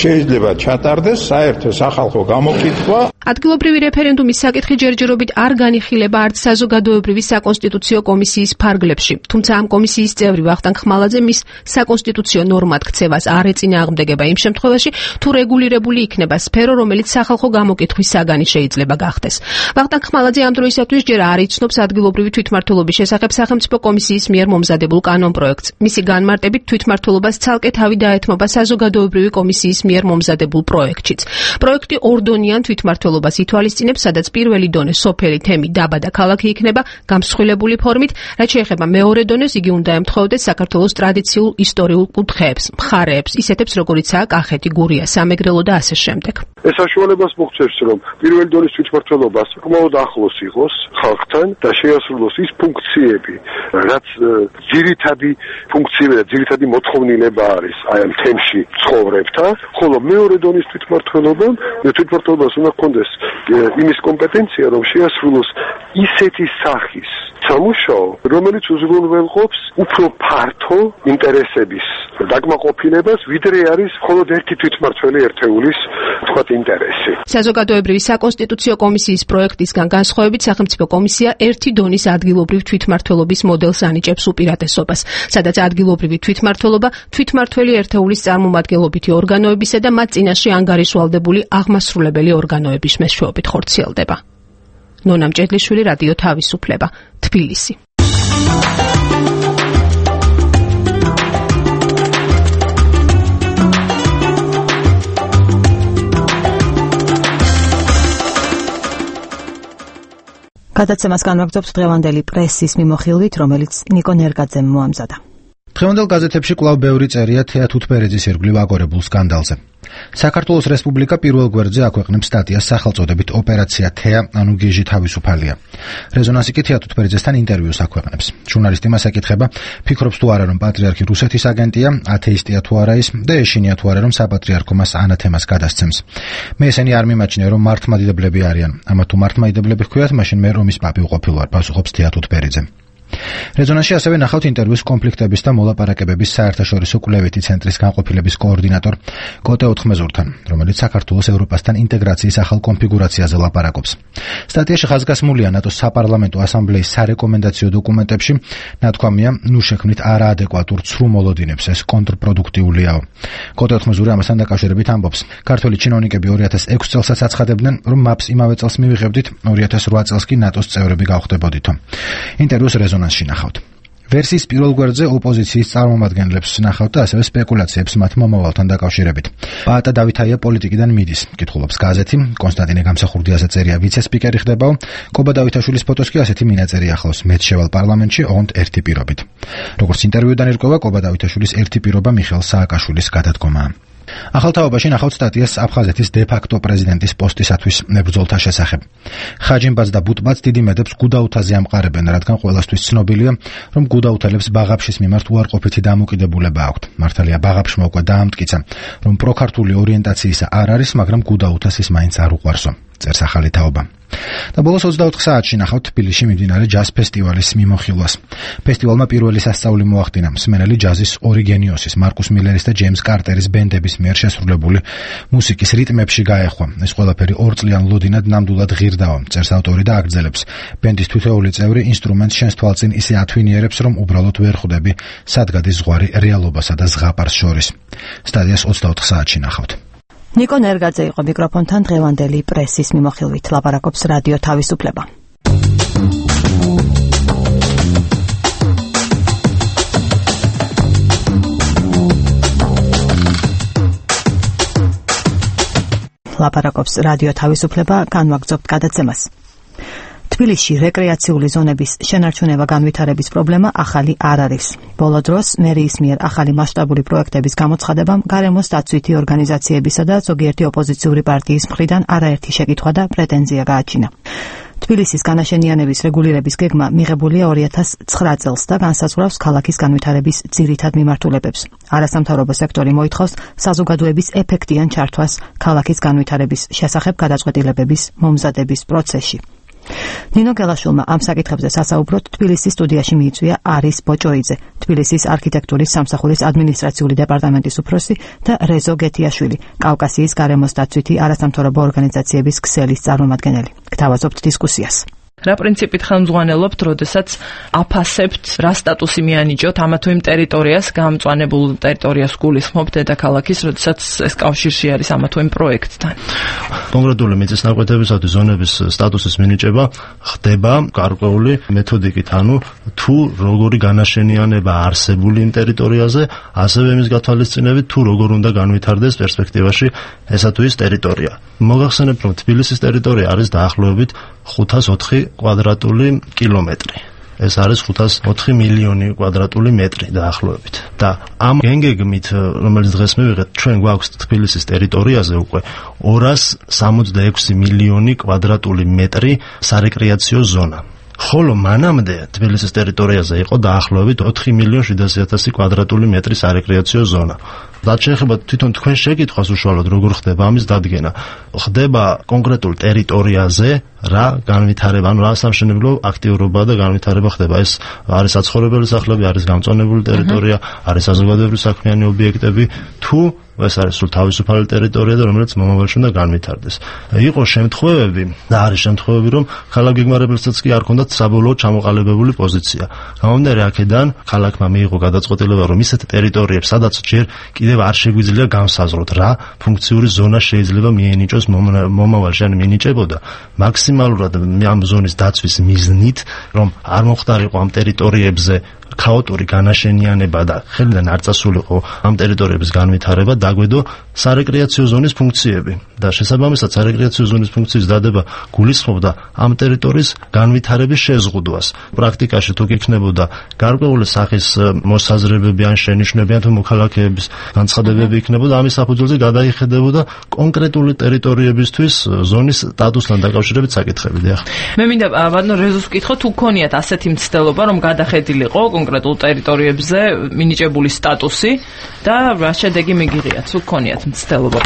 შეიძლება ჩატარდეს საერთო სახალხო გამოკითხვა. ადგილობრივი რეფერენდუმის საკითხი ჯერჯერობით არ განიხილება არც საზოგადოებრივი საკონსტიტუციო კომისიის ფარგლებში. თუმცა ამ კომისიის წევრი ვახტანგ ხმალაძე მის საკონსტიტუციო ნორმად ქცევას არ ეწინააღმდეგება იმ შემთხვევაში, თუ რეგულირებული იქნება სფერო, რომელიც სახალხო გამოკითხვის საგანი შეიძლება გახდეს. ვახტანგ ხმალაძე ამ დროისათვის ჯერ არ იცნობს ადგილობრივი თვითმმართველობის შესახებ სახელმწიფო კომისიის მიერ მომზადებულ კანონპროექტს. მისი განმარტებით თვითმმართველობას ცალკე თავი დაეთმობა საზოგადოებრივი კომისიის მიერ მომზადებულ პროექტშიც. პროექტი ორდონიან თვითმმართველობას ითვალისწინებს, სადაც პირველი დონე სოფელი, თემი, დაბა და ქალაქი იქნება გამსხვილებული ფორმით, რაც შეეხება მეორე დონეს, იგი უნდა ემთხვეოდეს საქართველოს ტრადიციულ ისტორიულ კუთხეებს, მხარეებს, ისეთებს როგორიცაა კახეთი, გურია, სამეგრელო და ასე შემდეგ. ეს საშუალებას მოგვცემს, რომ პირველი დონის თვითმმართველობა საკმაოდ ახლოს იყოს ხალხთან და შეასრულოს ის ფუნქციები, რაც ძირითადი ფუნქციები და ძირითადი მოთხოვნილება არის აი ამ თემში ცხოვრებთან, ხოლო მეორე დონის თვითმმართველობამ თვითმმართველობას უნდა ჰქონდეს იმის კომპეტენცია, რომ შეასრულოს ისეთი სახის სამუშაო, რომელიც უზრუნველყოფს უფრო ფართო ინტერესების დაკმაყოფილებას, ვიდრე არის მხოლოდ ერთი თვითმმართველი ერთეულის თქვათ ინტერესი. საზოგადოებრივი საკონსტიტუციო კომისიის პროექტისგან განსხვავებით სახელმწიფო კომისია ერთი დონის ადგილობრივ თვითმმართველობის მოდელს ანიჭებს უპირატესობას, სადაც ადგილობრივი თვითმმართველობა თვითმმართველი ერთეულის წარმომადგენლობითი ორგანოებისა და მათ წინაშე ანგარიშვალდებული აღმასრულებელი ორგანოების მეშვეობით ხორციელდება. ნონა მჭედლიშვილი, რადიო თავისუფლება, თბილისი. გადაცემას განვაგრძობთ დღევანდელი პრესის მიმოხილვით, რომელიც ნიკო ნერგაძემ მოამზადა. დღევანდელ გაზეთებში კვლავ ბევრი წერია თეა თუთბერიძის ირგვლივ აგორებულ სკანდალზე. საქართველოს რესპუბლიკა პირველ გვერდზე აქვეყნებს სტატიას სახელწოდებით ოპერაცია თეა, ანუ გიჟი თავისუფალია. რეზონანსი კი თეა თუთბერიძესთან ინტერვიუს აქვეყნებს. ჟურნალისტი მას ეკითხება, ფიქრობს თუ არა, რომ პატრიარქი რუსეთის აგენტია, ათეისტია თუ არა ის და ეშინია თუ არა, რომ საპატრიარქო მას ანათემას გადასცემს. მე ესენი არ მიმაჩნია, რომ მართლმადიდებლები არიან. ამა თუ მართლმადიდებლები ჰქვიათ, მაშინ მე რომის პაპი ვყოფილ ვარ, პასუხობს თეა თუთბერიძე. რეზონანსში ასევე ნახავთ ინტერვიუს კონფლიქტების და მოლაპარაკებების საერთაშორისო კვლევითი ცენტრის განყოფილების კოორდინატორ კოტე ოთხმეზურთან, რომელიც საქართველოს ევროპასთან ინტეგრაციის ახალ კონფიგურაციაზე ლაპარაკობს. სტატიაში ხაზგასმულია ნატოს საპარლამენტო ასამბლეის სარეკომენდაციო დოკუმენტებში, ნათქვამია, ნუ შექმნით არაადეკვატურ ცრუ მოლოდინებს, ეს კონტრპროდუქტიულიაო. კოტე ოთხმეზური ამასთან დაკავშირებით ამბობს, ქართველი ჩინოვნიკები ორი ათას ექვსი წელსაც აცხადებდნენ, რომ მაპს იმავე წელს მივიღებდით, ორი ათას რვა წელს კი ნატოს წევრები გავხდებოდითო. ინტერვიუს რეზონანსში ნახავთ. ვერსიის პირველ გვერდზე ოპოზიციის წარმომადგენლებს ნახავთ და ასევე სპეკულაციებს მათ მომავალთან დაკავშირებით. პაატა დავითაია პოლიტიკიდან მიდის, კითხულობს გაზეთი, კონსტანტინე გამსახურდიაზე წერია ვიცე-სპიკერი ხდებაო, კობა დავითაშვილის ფოტოს კი ასეთი მინაწერი ახლავს, მეც შევალ პარლამენტში, ოღონდ ერთი პირობით. როგორც ინტერვიუდან ირკვევა, კობა დავითაშვილის ერთი პირობა მიხეილ სააკაშვილის გადადგომაა. ახალ თაობაში ნახავთ სტატიას აფხაზეთის დე-ფაქტო პრეზიდენტის პოსტისათვის მებრძოლთა შესახებ. ხაჯიმბაც და ბუტბაც დიდი მედებს გუდაუთაზე ამყარებენ, რადგან ყველასთვის ცნობილია, რომ გუდაუთელებს ბაღაფშის მიმართ უარყოფითი დამოკიდებულება აქვთ. მართალია ბაღაფშმა უკვე დაამტკიცა, რომ პროქართული ორიენტაციისა არ არის, მაგრამ გუდაუთას ის მაინც არ უყვარსო. წერს ახალი თაობა. და ბოლოს ოცდაოთხ საათში ნახავთ თბილისში მიმდინარე ჯაზ ფესტივალის მიმოხილვას. ფესტივალმა პირველი სასწაული მოახდინა მსმენელი ჯაზის ორიგენიოსის, მარკუს მილერის და ჯეიმს კარტერის ბენდების მიერ შესრულებული მუსიკის რიტმებში გაეხვა. ეს ყველაფერი ორწლიან ლოდინად ნამდვილად ღირდაო, წერს ავტორი და აგრძელებს. ბენდის თითოეული წევრი ინსტრუმენტს შენს თვალწინ ისე ათვინიერებს, რომ უბრალოდ ვერ ხვდები, სად გადის ზღვარი რეალობასა და ზღაპარს შორის. სტადიას ოცდაოთხ საათში ნახავთ. ნიკო ნერგაძე იყო მიკროფონთან დღევანდელი პრესის მიმოხილვით, ლაპარაკობს რადიო თავისუფლება. ლაპარაკობს რადიო თავისუფლება, განვაგრძობთ გადაცემას. თბილისში რეკრეაციული ზონების შენარჩუნება განვითარების პრობლემა ახალი არ არის. ბოლო დროს მერიის მიერ ახალი მასშტაბური პროექტების გამოცხადებამ გარემოს დაცვითი ორგანიზაციებისა და ზოგიერთი ოპოზიციური პარტიის მხრიდან არაერთი შეკითხვა და პრეტენზია გააჩინა. თბილისის განაშენიანების რეგულირების გეგმა მიღებულია ორი ათას ცხრა წელს და განსაზღვრავს ქალაქის განვითარების ძირითად მიმართულებებს. არასამთავრობო სექტორი მოითხოვს საზოგადოების ეფექტიან ჩართვას ქალაქის განვითარების შესახებ გადაწყვეტილებების მომზადების პროცესში. ნინო გელაშვილმა ამ საკითხებზე სასაუბროდ თბილისის სტუდიაში მიიწვია არის ბოჭოიძე, თბილისის არქიტექტურის სამსახურის ადმინისტრაციული დეპარტამენტის უფროსი და რეზო გეთიაშვილი, კავკასიის გარემოს დაცვითი არასამთავრობო ორგანიზაციების ქსელის წარმომადგენელი. გთავაზობთ დისკუსიას. რა პრინციპით ხელმძღვანელობთ, როდესაც აფასებთ, რა სტატუსი მიანიჭოთ ამა თუ იმ ტერიტორიას, გამწვანებულ ტერიტორიას გულისხმობთ დედაქალაქის, როდესაც ეს კავშირში არის ამა თუ იმ პროექტთან. კონკრეტული მიწისნაკვეთებისათვის ზონების სტატუსის მინიჭება ხდება გარკვეული მეთოდიკით, ანუ თუ როგორი განაშენიანება არსებული იმ ტერიტორიაზე, ასევე იმის გათვალისწინებით, თუ როგორ უნდა განვითარდეს პერსპექტივაში ესა თუ ის ტერიტორია. მოგახსენებთ, რომ თბილისის ტერიტორია არის დაახლოებით ხუთას ოთხი კვადრატული კილომეტრი. ეს არის ხუთას ოთხი მილიონი კვადრატული მეტრი დაახლოებით. და ამ გენგეგმით, რომელიც დღეს მივიღეთ, ჩვენ გვაქვს თბილისის ტერიტორიაზე უკვე ორას სამოცდაექვსი მილიონი კვადრატული მეტრი სარეკრეაციო ზონა. ხოლო მანამდე თბილისის ტერიტორიაზე იყო დაახლოებით ოთხი მილიონი შვიდასი ათასი კვადრატული მეტრი სარეკრეაციო ზონა. რაც შეეხება თვითონ თქვენ შეკითხვას უშუალოდ როგორ ხდება ამის დადგენა. ხდება კონკრეტულ ტერიტორიაზე რა განვითარება, ანუ რა სამშენებლო აქტიურობა და განვითარება ხდება. ეს არის საცხოვრებელი სახლები, არის გამწვანებული ტერიტორია, არის საზოგადოებრივი საქმიანი ობიექტები, თუ ეს არის სულ თავისუფალი ტერიტორია და რომელიც მომავალში უნდა განვითარდეს. იყო შემთხვევები და არის შემთხვევები, რომ ქალაქ გეგმარებელსაც კი არ ჰქონდათ საბოლოო ჩამოყალიბებული პოზიცია. გამომდინარე აქედან ქალაქმა მიიღო გადაწყვეტილება, რომ ისეთ ტერიტორიებს, სადაც ჯერ კიდევ არ შეგვიძლია განსაზღვროთ, რა ფუნქციური ზონა შეიძლება მიენიჭოს მომავალში, ან მიენიჭებოდა მაქსიმალურად ამ ზონის დაცვის მიზნით, რომ არ მოხდარიყო ამ ტერიტორიებზე ქაოტური განაშენიანება და ხელიდან არ წასულიყო ამ ტერიტორიების განვითარება, დაგვედო სარეკრეაციო ზონის ფუნქციები და შესაბამისად სარეკრეაციო ზონის ფუნქციის დადება გულისხმობდა ამ ტერიტორიის განვითარების შეზღუდვას. პრაქტიკაში თუ გიქნებოდა გარკვეული სახის მოსაზრებები ან შენიშვნები ან თუ მოქალაქეების განცხადებები იქნებოდა, ამის საფუძველზე გადაიხედებოდა კონკრეტული ტერიტორიებისთვის ზონის სტატუსთან დაკავშირებით საკითხები. დიახ. მე მინდა ბატონო რეზოს ვკითხო, თუ გქონიათ ასეთი მცდელობა, რომ გადახედილიყო კონკრეტულ ტერიტორიებზე მინიჭებული სტატუსი და რა შედეგი მიგიღიათ, თუ გქონიათ მცდელობა.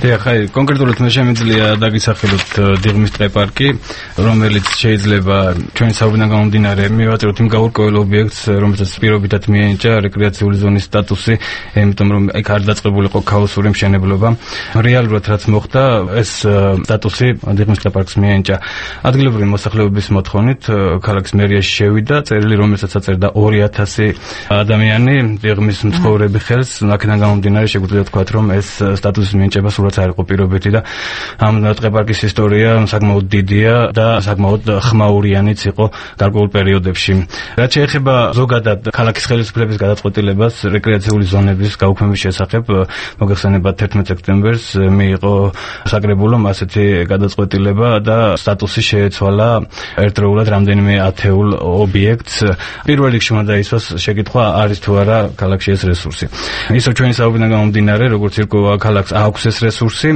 დიახ, აი კონკრეტულად მე შემიძლია დაგისახელოთ დიღმის ტყეპარკი, რომელიც შეიძლება ჩვენი საუბარიდან გამომდინარე მივაწეროთ იმ გაურკვეველ ობიექტს, რომელსაც პირობითად მიენიჭა რეკრეაციული ზონის სტატუსი, იმიტომ რომ ეგ არ დაწყებულიყო ქაოსური მშენებლობა. რეალურად რაც მოხდა, ეს სტატუსი დიღმის ტყეპარკს მიენიჭა ადგილობრივი მოსახლეობის მოთხოვნით, ქალაქის მერიაში შევიდა წერილი, რომელსაც აწერდა ორი ათასი ადამიანი დიღმის მცხოვრები ხელს. აქედან გამომდინარე შეგვიძლია თქვათ, რომ ეს სტატუსის მინიჭება სულაც არ იყო პირობითი და ამ ტყეპარკის ისტორია საკმაოდ დიდია და საკმაოდ ხმაურიანიც იყო გარკვეულ პერიოდებში. რაც შეეხება ზოგადად ქალაქის ხელისუფლების გადაწყვეტილებას რეკრეაციული ზონების გაუქმების შესახებ, მოგეხსენებათ თერთმეტ სექტემბერს მიიღო საკრებულომ ასეთი გადაწყვეტილება და სტატუსი შეეცვალა ერთდროულად რამდენიმე ათეულ ობიექტს. პირველ რიგში უნდა დაისვას შეკითხვა, არის თუ არა ქალაქში ეს რესურსი. ისო ჩვენი საუბრიდან გამომდინარე, როგორც ირკვევა ქალაქს აქვს ეს რესურსი.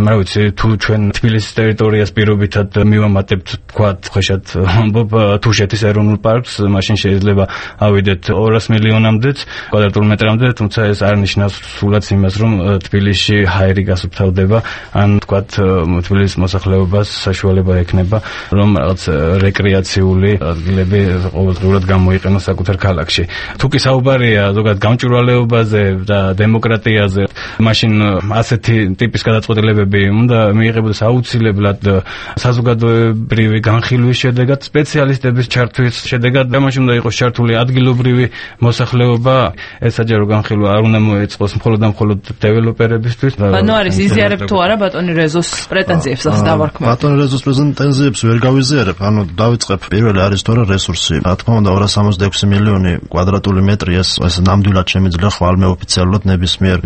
რა ვიცი, თუ ჩვენ თბილისის ტერიტორიას პირობითად მივამატებთ, თქვათ, ხეშად ამბობ თუშეთის ეროვნულ პარკს, მაშინ შეიძლება ავიდეთ ორას მილიონამდეც კვადრატულ მეტრამდე, თუმცა ეს არ ნიშნავს სულაც იმას, რომ თბილისში ჰაერი გასუფთავდება, ან თქვათ თბილისის მოსახლეობას საშუალება ექნება, რომ რაღაც რეკრეაციული ადგილები ყოველდღიურად გამოიყენოს საკუთარ ქალაქში. თუ კი საუბარია ზოგადად გამჭვირვალეობაზე და დემოკრატიაზე, მაშინ ასეთი ტიპის გადაწყვეტილებები უნდა მიიღებოდეს აუცილებლად საზოგადოებრივი განხილვის შედეგად, სპეციალისტების ჩართვის შედეგად, და მაშინ უნდა იყოს ჩართული ადგილობრივი მოსახლეობა. ეს საჯარო განხილვა არ უნდა მოეწყოს მხოლოდ და მხოლოდ დეველოპერებისთვის. ანუ არის იზიარებ თუ არა ბატონი რეზოს პრეტენზიებს ასე დავარქმევ. ბატონი რეზოს პრეტენზიებს ვერ გავიზიარებ, ანუ დავიწყებ პირველი არის თორე რესურსი. რა თქმა უნდა ორას სამოცდა ექვსი მილიონი კვადრატული მეტრი ეს ეს ნამდვილად შემიძლია ხვალმე ოფიციალურად ნებისმიერ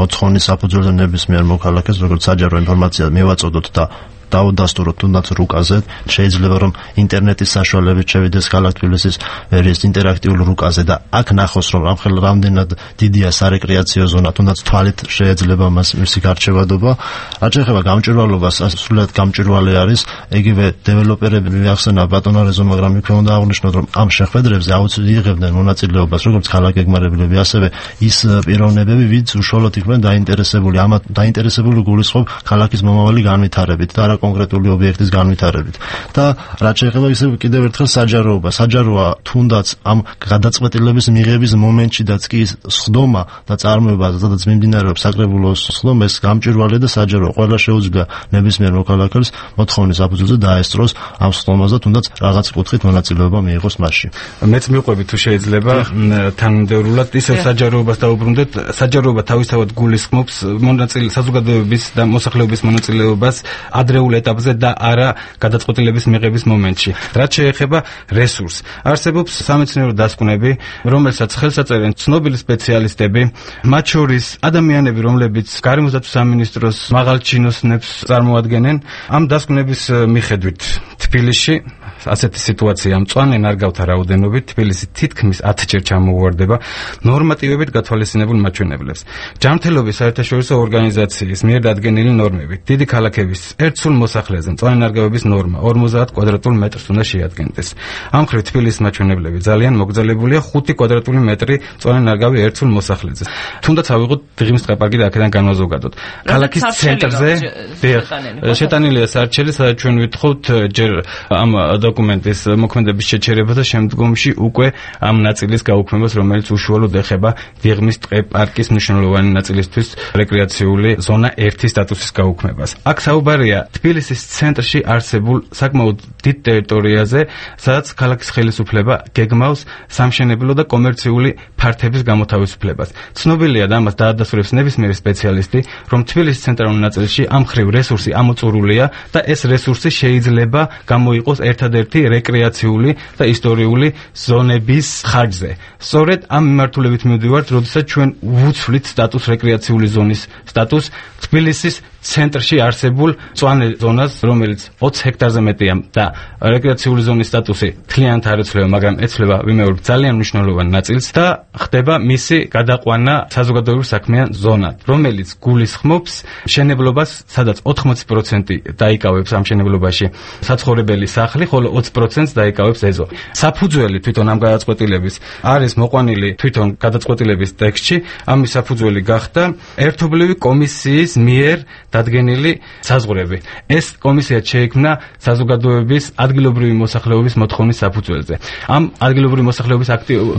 მოთხოვნის საფუძველზე ნებისმიერ მოქალაქეს, როგორც საჯარო ინფორმაცია მივაწოდოთ და დაუდასტუროთ თუნდაც რუკაზე, შეიძლება რომ ინტერნეტის საშუალებით შევიდეს ქალაქ თბილისის ვერიის ინტერაქტიულ რუკაზე და აქ ნახოს, რომ ამხელ რამდენად დიდია სარეკრეაციო ზონა, თუნდაც თვალით შეიძლება მას მისი გარჩევადობა. რაც შეეხება გამჭვირვალობას, სულად გამჭვირვალე არის იგივე დეველოპერები მიახსენა ბატონო რეზო, მაგრამ იქ უნდა აღვნიშნოთ, რომ ამ შეხვედრებზე აუცილებლად იღებდნენ მონაწილეობას როგორც ქალაქ გეგმარებლები, ასევე ის პიროვნებები, ვინც უშუალოდ იყვნენ დაინტერესებული, ამათ დაინტერესებული გულისხმობ ქალაქის მომავალი განვითარებით და კონკრეტული ობიექტის განვითარებით. და რაც შეეხება ისევ კიდევ ერთხელ საჯაროობა, საჯაროა თუნდაც ამ გადაწყვეტილების მიღების მომენტშიდაც კი სხდომა და წარმოება, სადაც მიმდინარეობს საკრებულოს სხდომა, ეს გამჭვირვალე და საჯარო ყველა შეუძლია ნებისმიერ მოქალაქეს მოთხოვნის საფუძველზე დაესწროს ამ სხდომაზე, თუნდაც რაღაც კუთხით მონაწილეობა მიიღოს მასში. მეც მიყვები თუ შეიძლება თანმიმდევრულად ისევ საჯაროებას დაუბრუნდეთ. საჯაროობა თავისთავად გულისხმობს მონაწილე საზოგადოების და მოსახლეობის მონაწილეობას ადრეულ ეტაპზე და არა გადაწყვეტილების მიღების მომენტში. რაც შეეხება რესურსს, არსებობს სამეცნიერო დასკვნები, რომელსაც ხელს აწერენ ცნობილი სპეციალისტები, მათ შორის ადამიანები, რომლებიც გარემოსდაცვის სამინისტროს მაღალ ჩინოსნებს წარმოადგენენ. ამ დასკვნების მიხედვით თბილისში ასეთი სიტუაცია მწვანე ნარგავთა რაოდენობით თბილისი თითქმის ათჯერ ჩამოუვარდება ნორმატივებით გათვალისწინებულ მაჩვენებლებს. ჯანმრთელობის საერთაშორისო ორგანიზაციის მიერ დადგენილი ნორმებით დიდი ქალაქების ერთ სულ მოსახლეზე მწვანე ნარგავების ნორმა ორმოცდაათ კვადრატულ მეტრს უნდა შეადგენდეს. ამ მხრივ თბილისის მაჩვენებლები ძალიან მოგრძალებულია ხუთი კვადრატული მეტრი მწვანე ნარგავი ერთ სულ მოსახლეზე. თუნდაც ავიღოთ დიღმის ტყეპარკი და აქედან განვაზოგადოთ. ქალაქის ცენტრზე შეტანილია საარჩელი, სადაც ჩვენ ვითხოვთ ჯერ ამ დოკუმენტის მოქმედების შეჩერება და შემდგომში უკვე ამ ნაწილის გაუქმებას, რომელიც უშუალოდ ეხება დიღმის ტყეპარკის მნიშვნელოვანი ნაწილისთვის რეკრეაციული ზონა ერთი სტატუსის გაუქმებას. აქ საუბარია თბილისის ცენტრში არსებულ საკმაოდ დიდ ტერიტორიაზე, სადაც ქალაქის ხელისუფლება გეგმავს სამშენებლო და კომერციული ფართების გამოთავისუფლებას. ცნობილია და ამას დაადასტურებს ნებისმიერი სპეციალისტი, რომ თბილისის ცენტრალურ ნაწილში ამ მხრივ რესურსი ამოწურულია და ეს რესურსი შეიძლება გამოიყოს ერთადერთი რეკრეაციული და ისტორიული ზონების ხარჯზე. სწორედ ამ მიმართულებით მივდივართ, როდესაც ჩვენ ვუცვლით სტატუს რეკრეაციული ზონის სტატუს თბილისის ცენტრში არსებულ მწვანე ზონას, რომელიც ოცი ჰექტარზე მეტია და რეკრეაციული ზონის სტატუსი მთლიანად არ ეცვლება, მაგრამ ეცვლება ვიმეორებ ძალიან მნიშვნელოვან ნაწილს და ხდება მისი გადაყვანა საზოგადოებრივ საქმიან ზონად, რომელიც გულისხმობს მშენებლობას, სადაც ოთხმოცი პროცენტი დაიკავებს ამ მშენებლობაში საცხოვრებელი სახლი, ხოლო ოცი პროცენტს დაიკავებს ეზო. საფუძველი თვითონ ამ გადაწყვეტილების არის მოყვანილი თვითონ გადაწყვეტილების ტექსტში, ამის საფუძველი გახდა ერთობლივი კომისიის მიერ დადგენილი საზღვრები. ეს კომისია შეიქმნა საზოგადოების ადგილობრივი მოსახლეობის მოთხოვნის საფუძველზე. ამ ადგილობრივი მოსახლეობის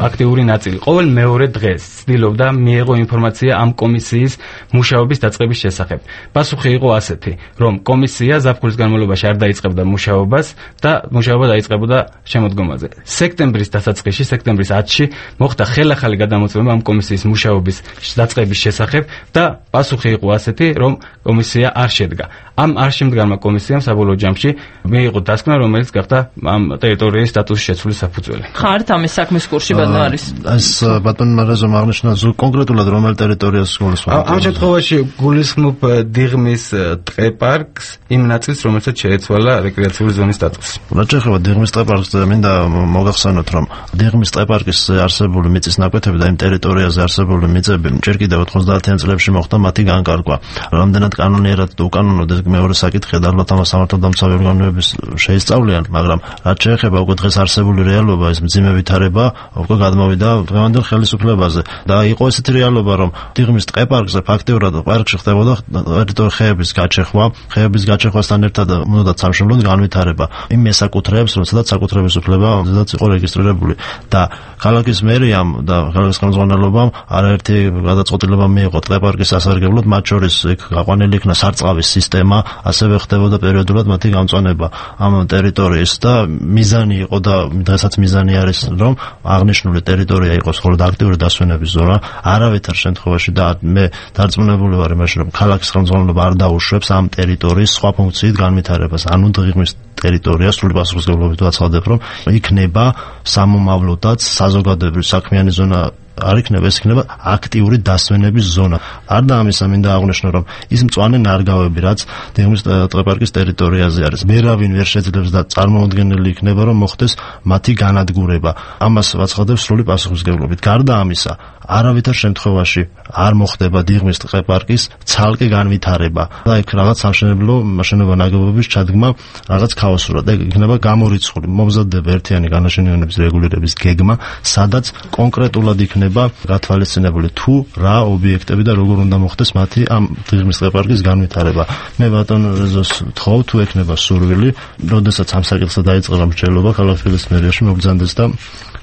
აქტიური ნაწილი ყოველ მეორე დღეს ცდილობდა მიეღო ინფორმაცია ამ კომისიის მუშაობის დაწყების შესახებ. პასუხი იყო ასეთი, რომ კომისია ზაფხულის განმავლობაში არ დაიწყებდა მუშაობას და მუშაობა დაიწყებოდა შემოდგომაზე. სექტემბრის დასაწყისში, სექტემბრის ათში მოხდა ხელახალი გადამოწმება ამ კომისიის მუშაობის დაწყების შესახებ და პასუხი იყო ასეთი, რომ კომისია არ შედგა. ამ არ შემდგარმა კომისიამ საბოლოო ჯამში მიიღო დასკვნა, რომელიც გახდა ამ ტერიტორიის სტატუსის შეცვლის საფუძველი. ხართ ამის საქმის კურსში ბატონ არის? ეს ბატონ მარაზომ აღნიშნა კონკრეტულად რომელ ტერიტორიას გულისხმობ? ამ შემთხვევაში გულისხმობ დიღმის ტყეპარკს, იმ ნაწილს, რომელსაც შეეცვალა რეკრეაციული ზონის სტატუსი. რაც შეეხება დიღმის ტყეპარკს, მინდა მოგახსენოთ, რომ დიღმის ტყეპარკის არსებული მიწის ნაკვეთები და იმ ტერიტორიაზე არსებული მიწები ჯერ კიდევ ოთხმოცდაათიან წლებში მოხდა მათი განკარგვა. რამდენად კანონიერად თუ უკანონოდ ეს მეორე საკითხია და ალბათ ამას სამართალდამცავი ორგანოების შეისწავლიან, მაგრამ რაც შეეხება უკვე დღეს არსებული რეალობა, ეს მძიმე ვითარება უკვე გადმოვიდა დღევანდელ ხელისუფლებაზე და იყო ესეთი რეალობა, რომ დიღმის ტყეპარკზე ფაქტიურად პარკში ხდებოდა ტერიტორიების გაჩეხვა, ხეების გაჩეხვასთან ერთად უნდა სამშენებლო განვითარება იმ მესაკუთრეებს, რომელსაც საკუთრების უფლება ზედაც იყო რეგისტრირებული და ქალაქის მერიამ და ქალაქის ხელმძღვანელობამ არაერთი გადაწყვეტილება მიიღო ტყეპარკის სასარგებლოდ, მათ შორის იქ გაყვანილი იქნა სარწყავის სისტემა, ასევე ხდებოდა პერიოდულად მათი გამწვანება ამ ტერიტორიის და მიზანი იყო და დღესაც მიზანი არის, რომ აღნიშნული ტერიტორია იყოს მხოლოდ აქტიური დასვენების ზონა, არავითარ შემთხვევაში და მე დარწმუნებული ვარ იმაში, რომ ქალაქის ხელმძღვანელობა არ დაუშვებს ამ ტერიტორიის სხვა ფუნქციით განვითარებას, ანუ დიღმის ტერიტორია სრული პასუხისმგებლობით ვაცხადებ, რომ იქნება სამომავლოდაც საზოგადოებრივი საქმიანი ზონა არ იქნება, ეს იქნება აქტიური დასვენების ზონა. არდა ამისა მინდა აღვნიშნო, რომ ის მწვანე ნარგავები, რაც დიღმის ტყეპარკის ტერიტორიაზე არის, ვერავინ ვერ შეძლებს და წარმოუდგენელი იქნება, რომ მოხდეს მათი განადგურება. ამას ვაცხადებ სრული პასუხისმგებლობით. გარდა ამისა, არავითარ შემთხვევაში არ მოხდება დიღმის ტყეპარკის ცალკე განვითარება და იქ რაღაც სამშენებლო მაშენობა ნაგებობის ჩადგმა რაღაც ქაოსურად და იქნება გამორიცხული, მომზადდება ერთიანი განაშენიანების რეგულირების გეგმა, სადაც კონკრეტულად იქნება გათვალისწინებული თუ რა ობიექტები და როგორ უნდა მოხდეს მათი ამ დიღმის ტყეპარკის განვითარება. მე ბატონ რეზოს ვთხოვ, თუ ექნება სურვილი, როდესაც ამ საკითხზე დაიწყება მრჩევლობა ქალაქ თბილისის მერიაში მოგზანდეს და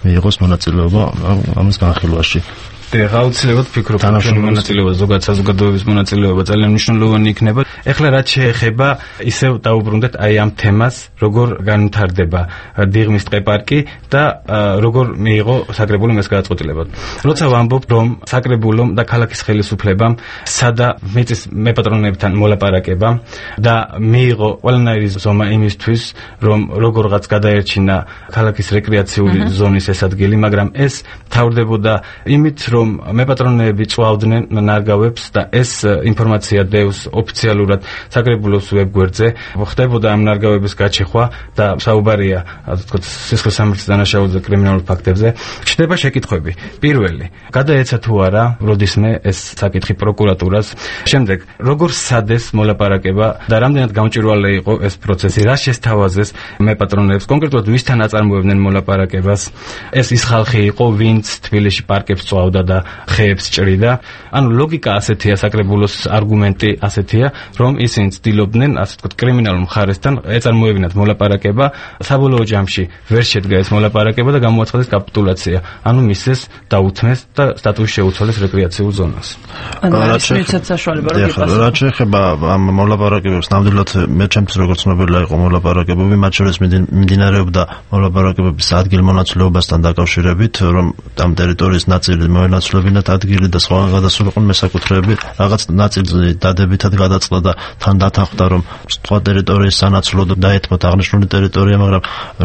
მიიღოს მონაწილეობა ამის განხილვაში. და აუცილებლად ვფიქრობ, რომ მონაწილეობა ზოგადად საზოგადოების მონაწილეობა ძალიან მნიშვნელოვანი იქნება. ეხლა რაც შეეხება, ისევ დაუბრუნდეთ აი ამ თემას, როგორ განვითარდება დიღმის ტყეპარკი და როგორ მიიღო საკრებულო ეს გადაწყვეტილება. როცა ვამბობ, რომ საკრებულომ და ქალაქის ხელისუფლებამ სადა მიწის მეპატრონეებთან მოლაპარაკება და მიიღო ყველანაირი ზომა იმისთვის, რომ როგორღაც გადაერჩინა ქალაქის რეკრეაციული ზონის ეს ადგილი, მაგრამ ეს თავდებოდა იმით, რომ მეპატრონეები წვავდნენ ნარგავებს და ეს ინფორმაცია დევს ოფიციალურად საკრებულოს ვებგვერდზე, ხდებოდა ამ ნარგავების გაჩეხვა და საუბარია, ასე ვთქვათ, სისხლის სამართლის დანაშაულზე, კრიმინალურ ფაქტებზე. ჩნდება შეკითხვები. პირველი, გადაეცა თუ არა როდისმე ეს საკითხი პროკურატურას. შემდეგ, როგორ სადეს მოლაპარაკება და რამდენად გამჭვირვალე იყო ეს პროცესი, რა შესთავაზეს მეპატრონეებს, კონკრეტულად ვისთან აწარმოებდნენ მოლაპარაკებას. ეს ის ხალხი იყო, ვინც თბილისში პარკებს წვავდა და ხეებს ჭრიდა. ანუ ლოგიკა ასეთია, საკრებულოს არგუმენტი ასეთია, რომ ისინი ცდილობდნენ, ასე ვთქვათ, კრიმინალურ მხარესთან ეწარმოებინათ მოლაპარაკება, საბოლოო ჯამში ვერ შედგა ეს მოლაპარაკება და გამოაცხადეს კაპიტულაცია. ანუ მისცეს დაუთმეს და სტატუსი შეუცვალეს რეკრეაციულ ზონას. ანუ ეს მიცეთ საშუალება რომ იპასუხოს. რა შეეხება ამ მოლაპარაკებებს, ნამდვილად მე ჩემთვის როგორც ცნობილია იყო მოლაპარაკებები, მათ შორის მიმდინარეობდა მოლაპარაკებების ადგილმონაცვლეობასთან დაკავშირებით, რომ ამ ტერიტორიის ნაწილი მოენაცვლებინათ ადგილი და სხვა გადასულიყვნენ მესაკუთრეები, რაღაც ნაწილი დადებითად გადაწყდა და თან დათანხმდა, რომ სხვა ტერიტორიის სანაცვლოდ დაეთმოთ აღნიშნული ტერიტორია, მაგრამ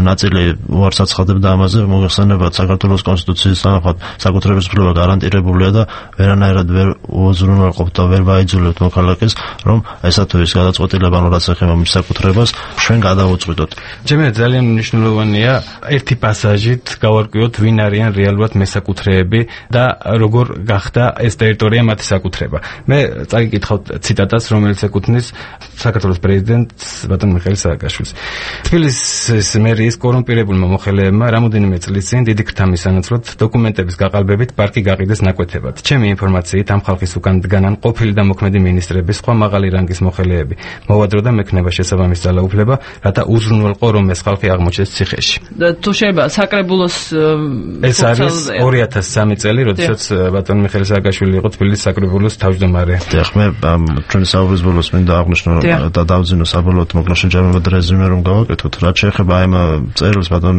ნაწილი უარს აცხადებდა ამაზე, მოიხსენებათ საქართველოს კონსტიტუციის თანახმად საკუთრების უფლება გარანტირებულია და ვერანაირად ვერ უზრუნველყოფთ და ვერ ვაიძულებთ მოქალაქეს, რომ ესა თუ ის გადაწყვეტილება, რაც ეხება მის საკუთრებას, ჩვენ გადავუწყვიტოთ. ჩემი ძალიან მნიშვნელოვანია ერთი პასაჟით გავარკვიოთ, ვინ არიან რეალურად მესაკუთრეები და როგორ გახდა ეს ტერიტორია მათი საკუთრება. მე წაგიკითხავთ ციტატას, რომელიც ეკუთვნის საქართველოს პრეზიდენტს ბატონ მიხეილ სააკაშვილს. თბილისის მერიის კორუმპირებულმა მოხელეებმა რამოდენიმე წლის წინ დიდი ქრთამის სანაცვლოდ დოკუმენტების გაყალბებით პარკი გაყიდეს ნაკვეთებად. ჩემი ინფორმაციით ამ ხალხის უკან დგანან ყოფილი და მოქმედი მინისტრების, სხვა მაღალი რანგის მოხელეები. მოვადრო და მექნება შესაბამის ძალაუფლება, რათა უზრუნველყო რომ ეს ხალხი აღმოჩნდეს ციხეში. თუ შეიძლება საკრებულოს ეს არის ორი ათას სამი წელი, როდესაც ბატონ მიხეილ სააკაშვილი იყო თბილისის საკრებულოს თავმჯდომარე. დიახ, მე ჩვენი საუბრის ბოლოს მინდა აღვნიშნო და დავძინო საბოლოოდ მოკლა შეჯამება და რეზუმე რომ გავაკეთოთ. რაც შეეხება ამ წერილს ბატონ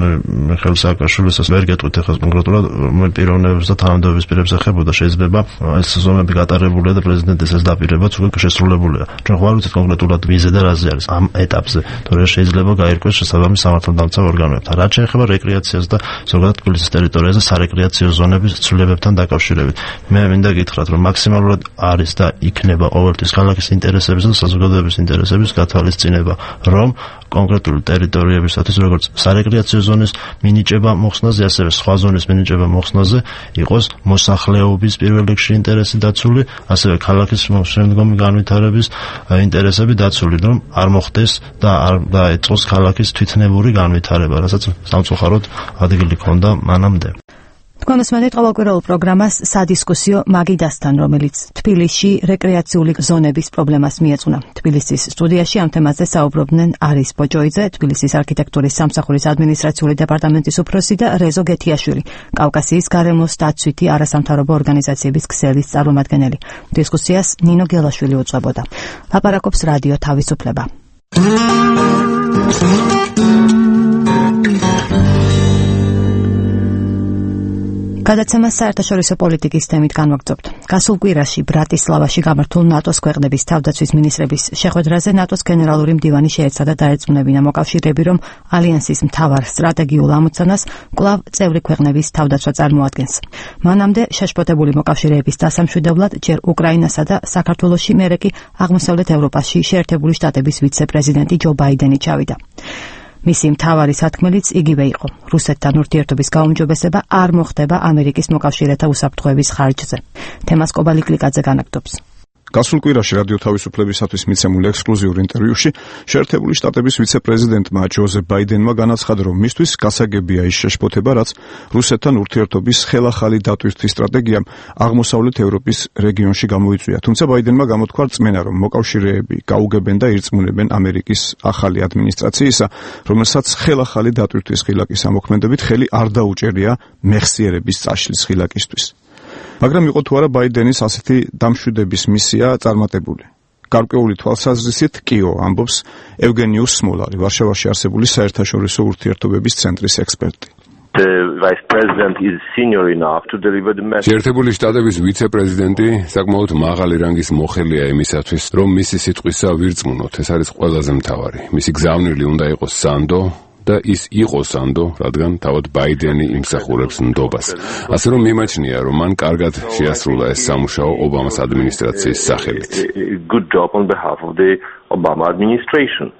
მიხეილ სააკაშვილის, ვერ გეტყვით ახლა კონკრეტულად რომელ პიროვნებებს და თანამდებობის პირებს ეხებოდა, შეიძლება ეს ზონები გატარებულია და პრეზიდენტის ეს დაპირებაც უკვე შესრულებულია. ჩვენ ხვალ ვიცით კონკრეტულად ვიზე და რაზე არის ამ ეტაპზე, თორე შეიძლება გაირკვეს შესაბამის სამართალდამცავ ორგანოებთან. რაც შეეხება რეკრეაციას და ზოგადად თბილისის ტერიტორიაზე სარეკრეაციო ზონების ცვლილებებთან დაკავშირებით. მე მინდა გითხრათ, რომ მაქსიმალურად არის და იქნება ყოველთვის ქალაქის ინტერესების და საზოგადოების ინტერესების გათვალისწინება, რომ კონკრეტული ტერიტორიებისათვის როგორც სარეკრეაციო ზონის მინიჭება მოხსნაზე, ასევე სხვა ზონის მინიჭება მოხსნაზე იყოს მოსახლეობის პირველ რიგში ინტერესი დაცული, ასევე ქალაქის შემდგომი განვითარების ინტერესები დაცული, რომ არ მოხდეს და არ დაეწყოს ქალაქის თვითნებური განვითარება, რასაც სამწუხაროდ ადგილი ჰქონდა მანამდე. თქვენ მოსმენთ ყოველკვირეულ პროგრამას სადისკუსიო მაგიდასთან, რომელიც თბილისში რეკრეაციული ზონების პრობლემას მიეძღვნა. თბილისის სტუდიაში ამ თემაზე საუბრობდნენ არის ბოჭოიძე, თბილისის არქიტექტურის სამსახურის ადმინისტრაციული დეპარტამენტის უფროსი და რეზო გეთიაშვილი, კავკასიის გარემოს დაცვითი არასამთავრობო ორგანიზაციების ქსელის წარმომადგენელი. დისკუსიას ნინო გელაშვილი უძღვებოდა. ლაპარაკობს რადიო თავისუფლება. გადაცემას საერთაშორისო პოლიტიკის თემით განვაგრძობთ. გასულ კვირაში ბრატისლავაში გამართულ ნატოს ქვეყნების თავდაცვის მინისტრების შეხვედრაზე ნატოს გენერალური მდივანი შეეცადა დაერწმუნებინა მოკავშირეები, რომ ალიანსის მთავარ სტრატეგიულ ამოცანას კვლავ წევრი ქვეყნების თავდაცვა წარმოადგენს. მანამდე შეშფოთებული მოკავშირეების დასამშვიდებლად ჯერ უკრაინასა და საქართველოში, მერე კი აღმოსავლეთ ევროპაში შეერთებული შტატების ვიცე-პრეზიდენტი ჯო ბაიდენი ჩავიდა. მისი მთავარი სათქმელიც იგივე იყო. რუსეთთან ურთიერთობის გაუმჯობესება არ მოხდება ამერიკის მოკავშირეთა უსაფრთხოების ხარჯზე. თემას კობალი კლიკაძე განაგდობს. გასულ კვირაში რადიო თავისუფლებისათვის მიცემულ ექსკლუზიურ ინტერვიუში შეერთებული შტატების ვიცე-პრეზიდენტმა ჯოზეფ ბაიდენმა განაცხადა, რომ მისთვის გასაგებია ის შეშფოთება, რაც რუსეთთან ურთიერთობის ხელახალი დატვირთვის სტრატეგიამ აღმოსავლეთ ევროპის რეგიონში გამოიწვია. თუმცა ბაიდენმა გამოთქვა რწმენა, რომ მოკავშირეები გაუგებენ და ირწმუნებენ ამერიკის ახალი ადმინისტრაციისა, რომელსაც ხელახალი დატვირთვის ხილაკის ამოქმედებით ხელი არ დაუჭერია მეხსიერების წაშლის ხილაკისთვის. მაგრამ იყო თუ არა ბაიდენის ასეთი დამშვიდების მისია წარმატებული. გარკვეული თვალსაზრისით კიო, ამბობს ევგენიუს სმოლარი, ვარშავაში არსებული საერთაშორისო ურთიერთობების ცენტრის ექსპერტი. შეერთებული შტატების ვიცე-პრეზიდენტი საკმაოდ მაღალი რანგის მოხელეა იმისათვის, რომ მისი სიტყვისა ვირწმუნოთ. ეს არის ყველაზე მთავარი. მისი გზავნილი უნდა იყოს სანდო და ის იყო სანდო, რადგან თავად ბაიდენი იმსახურებს ნდობას. ასე რომ მიმაჩნია, რომ მან კარგად შეასრულა ეს სამუშაო ობამას ადმინისტრაციის სახელით. Good job on behalf of the Obama administration.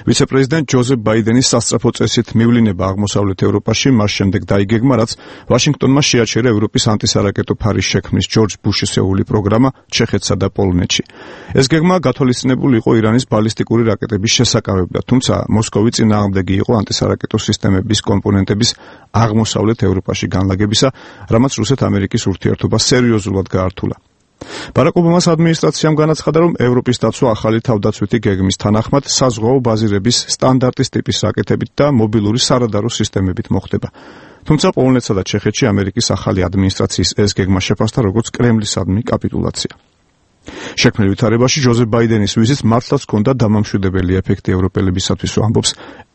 ვიცე-პრეზიდენტ ჯოზეფ ბაიდენის სასწრაფო წესით მივლინება აღმოსავლეთ ევროპაში მას შემდეგ დაიგეგმა, რაც ვაშინგტონმა შეაჩერა ევროპის ანტისარაკეტო ფარის შექმნის ჯორჯ ბუშის ეული პროგრამა ჩეხეთსა და პოლონეთში. ეს გეგმა გათვალისწინებული იყო ირანის ბალისტიკური რაკეტების შესაკავებლად, თუმცა მოსკოვი წინააღმდეგი იყო ანტისარაკეტო სისტემების კომპონენტების აღმოსავლეთ ევროპაში განლაგებისა, რამაც რუსეთ-ამერიკის ურთიერთობა სერიოზულად გაართულა. ბარაკ ობამას ადმინისტრაციამ განაცხადა, რომ ევროპის დაცვა ახალი თავდაცვითი გეგმის თანახმად საზღვაო ბაზირების სტანდარტის ტიპის რაკეტებით და მობილური სარადარო სისტემებით მოხდება. თუმცა პოლონეთსა და ჩეხეთში ამერიკის ახალი ადმინისტრაციის ეს გეგმა შეფასდა როგორც კრემლისადმი კაპიტულაცია. შექმნილ ვითარებაში ჯოზეფ ბაიდენის ვიზიტს მართლაც ჰქონდა დამამშვიდებელი ეფექტი ევროპელებისათვის, ამბობს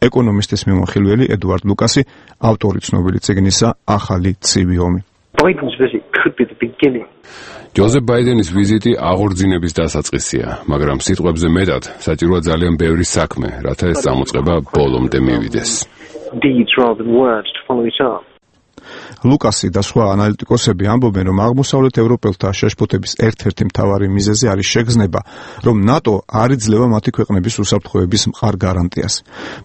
ეკონომისტის მიმოხილველი ედუარდ ლუკასი, ავტორი ცნობილი წიგნისა ახალი ცივი ომი. Biden's visit could be the beginning. ჯოზეფ ბაიდენის ვიზიტი აღორძინების დასაწყისია, მაგრამ სიტყვებზე მეტად საჭიროა ძალიან ბევრი საქმე, რათა ეს წამოწყება ბოლომდე მივიდეს. Deeds rather than words to follow it up. ლუკასი და სხვა ანალიტიკოსები ამბობენ, რომ აღმოსავლეთ ევროპელთა შეშფოთების ერთ-ერთი მთავარი მიზეზი არის შეგრძნება, რომ ნატო არ იძლევა მათი ქვეყნების უსაფრთხოების მყარ გარანტიას.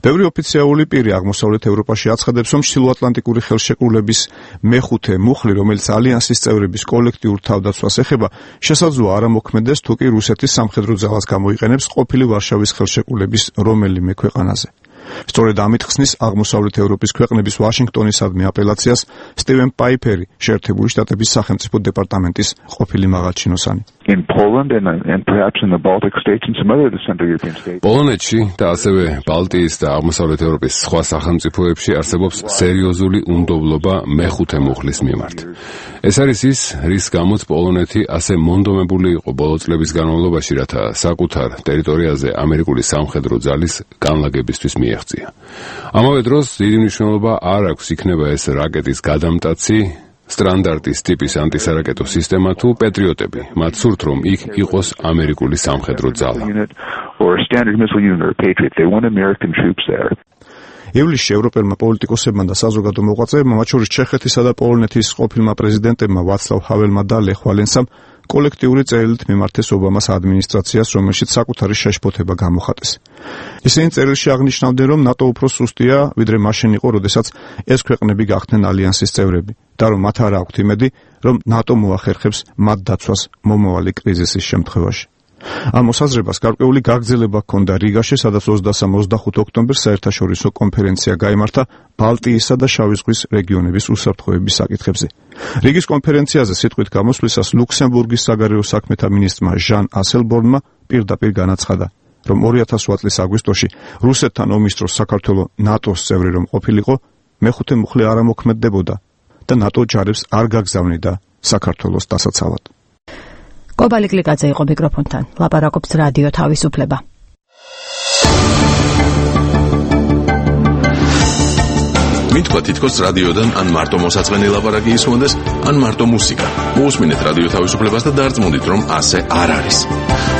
ბევრი ოფიციალური პირი აღმოსავლეთ ევროპაში აცხადებს, რომ ჩრდილოატლანტიკური ხელშეკრულების მეხუთე მუხლი, რომელიც ალიანსის წევრების კოლექტიურ თავდაცვას ეხება, შესაძლოა არ ამოქმედდეს, თუ კი რუსეთის სამხედრო ძალას გამოიყენებს ყოფილი ვარშავის ხელშეკრულების რომელიმე ქვეყანაზე. სწორედ ამით ხსნის აღმოსავლეთ ევროპის ქვეყნების ვაშინგტონისადმი აპელაციას სტივენ პაიფერი, შეერთებული შტატების სახელმწიფო დეპარტამენტის ყოფილი მაღალჩინოსანი. In Poland and, and perhaps in the Baltic states and some other Central European states. პოლონეთში და ასევე ბალტიის და აღმოსავლეთ ევროპის სხვა სახელმწიფოებში არსებობს სერიოზული უნდობლობა მეხუთე მუხლის მიმართ. ეს არის ის, რის გამოც პოლონეთი ასე მონდომებული იყო ბოლო წლების განმავლობაში, რათა საკუთარ ტერიტორიაზე ამერიკული სამხედრო ძალის განლაგებისთვის მიეღწია. ამავე დროს დიდი მნიშვნელობა არ აქვს იქნება ეს რაკეტის გადამტაცი სტანდარტის ტიპის ანტისარაკეტო სისტემა თუ პეტრიოტები, მათ სურთ რომ იქ იყოს ამერიკული სამხედრო ძალა. ივლისში ევროპელმა პოლიტიკოსებმა და საზოგადო მოღვაწეებმა, მათ შორის ჩეხეთისა და პოლონეთის ყოფილმა პრეზიდენტებმა ვაცლავ ჰაველმა და ლეხ ვალენსამ კოლექტიური წერილით მიმართეს ობამას ადმინისტრაციას, რომელშიც საკუთარი შეშფოთება გამოხატეს. ისინი წერილში აღნიშნავდნენ, რომ ნატო უფრო სუსტია, ვიდრე მაშინ იყო, როდესაც ეს ქვეყნები გახდნენ ალიანსის წევრები და რომ მათ არ აქვთ იმედი, რომ ნატო მოახერხებს მათ დაცვას მომავალი კრიზისის შემთხვევაში. ამ მოსაზრებას გარკვეული გაგრძელება ჰქონდა რიგაში, სადაც ოცდასამ ოცდახუთ ოქტომბერს საერთაშორისო კონფერენცია გაიმართა ბალტიისა და შავი ზღვის რეგიონების უსაფრთხოების საკითხებზე. რიგის კონფერენციაზე სიტყვით გამოსვლისას ლუქსემბურგის საგარეო საქმეთა მინისტრმა ჟან ასელბორნმა პირდაპირ განაცხადა, რომ ორი ათას ორი წლის აგვისტოში რუსეთთან ომის დროს საქართველო ნატოს წევრი რომ ყოფილიყო, მეხუთე მუხლი არ ამოქმედდებოდა და ნატო ჯარებს არ გაგზავნიდა საქართველოს დასაცავად. კობალი კლიკაძე იყო მიკროფონთან. ლაპარაკობს რადიო თავისუფლება. მითქვა თითქოს რადიოდან ან მარტო მოსაწყენი ლაპარაკი ისმონდეს, ან მარტო მუსიკა. მოусმინეთ რადიო თავისუფლებას და დარწმუნდით, რომ ასე არ არის.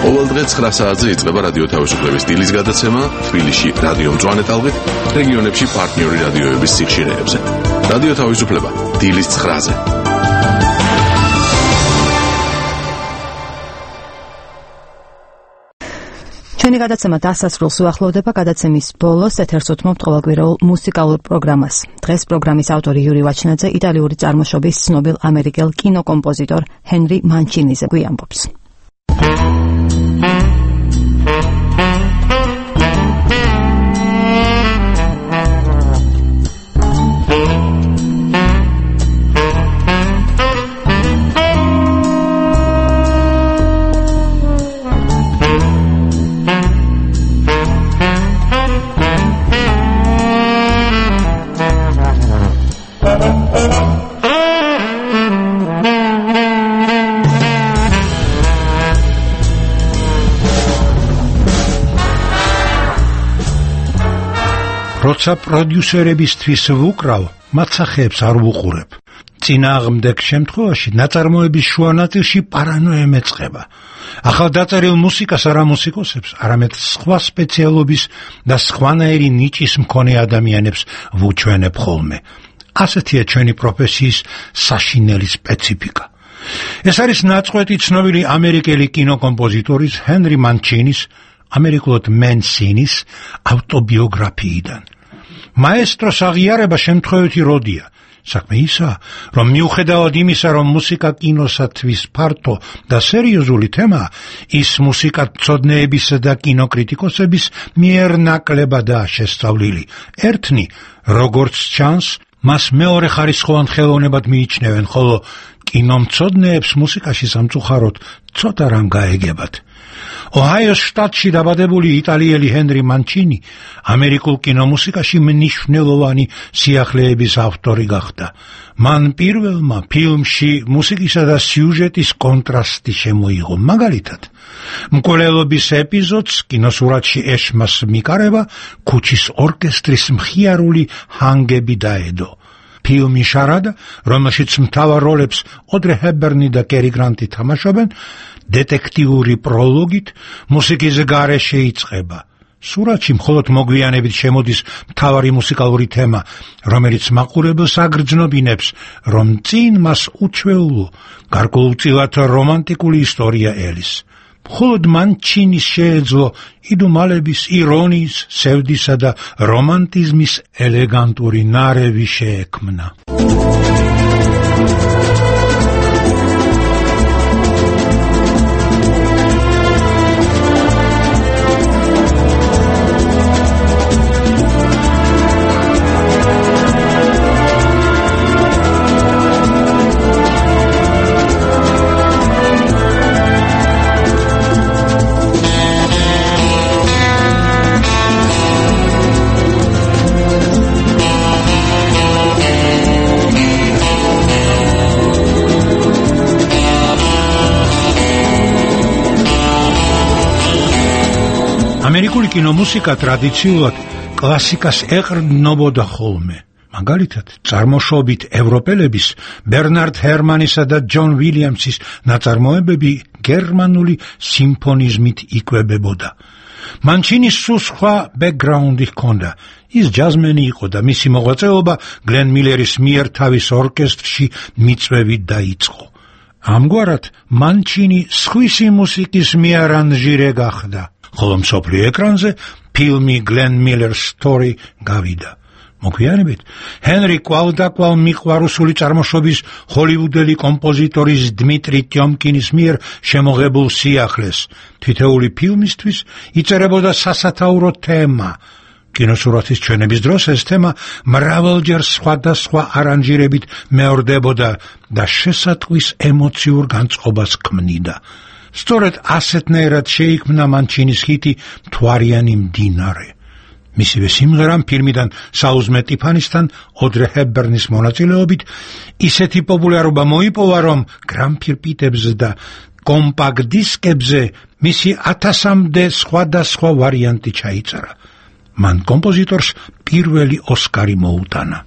ყოველ დღე ცხრა საათზე იწყება რადიო თავისუფლების დილის გადაცემა, თბილისში რადიო მწვანე ტალღით, რეგიონებში პარტნიორი რადიოების სიხშირეებზე. რადიო თავისუფლება დილის ცხრაზე. ჩვენი გადაცემა დასასრულს უახლოვდება. გადაცემის ბოლოს ეთერს უთმობთ ყოველკვირეულ მუსიკალურ პროგრამას. დღეს პროგრამის ავტორი იური ვაჩნაძე იტალიური წარმოშობის ცნობილ ამერიკელ კინოკომპოზიტორ ჰენრი მანჩინიზე გვიამბობს. როცა პროდიუსერებისთვის ვუკრავ, მათ სახეებს არ ვუყურებ. წინააღმდეგ შემთხვევაში ნაწარმოების შუა ნაწილში პარანოია მეწყება. ახალდაწერილ მუსიკას არა მუსიკოსებს, არამედ სხვა სპეციალობის და სხვანაირი ნიჭის მქონე ადამიანებს ვუჩვენებ ხოლმე. ასეთია ჩვენი პროფესიის საშინელი სპეციფიკა. ეს არის ნაწყვეტი ცნობილი ამერიკელი კინოკომპოზიტორის ჰენრი მანჩინის, ამერიკულად მენსინის ავტობიოგრაფიიდან. მაესტროს აღიარება შემთხვევითი როდია. საქმე ისაა, რომ მიუხედავად იმისა, რომ მუსიკა კინოსათვის ფართო და სერიოზული თემაა, ის მუსიკათმცოდნეებისა და კინოკრიტიკოსების მიერ ნაკლებადაა შესწავლილი. ერთნი, როგორც ჩანს, მას მეორე ხარისხოვან ხელოვნებად მიიჩნევენ, ხოლო კინომცოდნეებს მუსიკაში სამწუხაროდ ცოტა რამ გაეგებათ. ოჰაიოს შტატში დაბადებული იტალიელი ჰენრი მანჩინი ამერიკულ კინომუსიკაში მნიშვნელოვანი სიახლეების ავტორი გახდა. მან პირველმა ფილმში მუსიკისა და სიუჟეტის კონტრასტი შემოიღო. მაგალითად, მკვლელობის ეპიზოდს კინოსურათში ეშმას მიკარება ქუჩის ორკესტრის მხიარული ჰანგები დაედო. ფილმი შარადა, რომელშიც მთავარ როლებს ოდრე ჰეპბერნი და კერი გრანტი თამაშობენ, დეტექტიური პროლოგით მუსიკის გარეშე იწყება. სურათში მხოლოდ მოგვიანებით შემოდის მთავარი მუსიკალური თემა, რომელიც მაყურებელს აგრძნობინებს, რომ წინ მას უჩვეულო, გარკვეულწილად რომანტიკული ისტორია ელის. მხოლოდ მანჩინის შეეძლო იდუმალების, ირონიის, სევდისა და რომანტიზმის ელეგანტური ნარევი შეექმნა. ამერიკული კინომუსიკა ტრადიციულად კლასიკას ეყრდნობოდა ხოლმე. მაგალითად, წარმოშობით ევროპელების ბერნარდ ჰერმანისა და ჯონ ვილიამსის ნაწარმოებები გერმანული სიმფონიზმით იკვებებოდა. მანჩინის სულ სხვა ბექგრაუნდი ჰქონდა. ის ჯაზმენი იყო და მისი მოღვაწეობა გლენ მილერის მიერ თავის ორკესტრში მიწვევით დაიწყო. ამგვარად, მანჩინი სხვისი მუსიკის მიარანჟირე გახდა. ხოლო მსოფლიო ეკრანზე ფილმი გლენ მილერს სტორი გავიდა. მოგვიანებით, ჰენრი კვალდაკვალ მიყვარუსული წარმოშობის ჰოლივუდელი კომპოზიტორის დმიტრი ტიომკინის მიერ შემოღებულ სიახლეს თითოეული ფილმისთვის იწერებოდა სასათაურო თემა. კინოსურათის ჩვენების დროს ეს თემა მრავალჯერ სხვადასხვა არანჟირებით მეორდებოდა და შესატყვის ემოციურ განწყობას ქმნიდა. სწორედ ასეთნაირად შეიქმნა მანჩინის ჰიტი მთვარიანი მდინარე. მისივე სიმღერამ ფილმიდან საუზმე ტიფანისთან ოდრე ჰეპბერნის მონაწილეობით ისეთი პოპულარობა მოიპოვა, რომ გრამფირფიტებზე და კომპაქტ დისკებზე მისი ათასამდე სხვადასხვა ვარიანტი ჩაიწერა. მან კომპოზიტორს პირველი ოსკარი მოუტანა.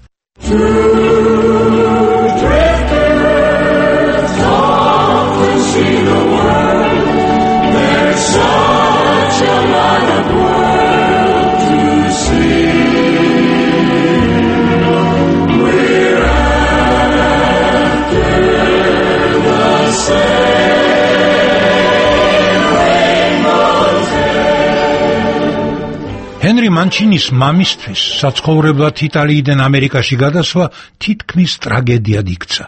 ჰენრი მანჩინის მამისთვის საცხოვრებლად იტალიიდან ამერიკაში გადასვლა თითქმის ტრაგედიად იქცა.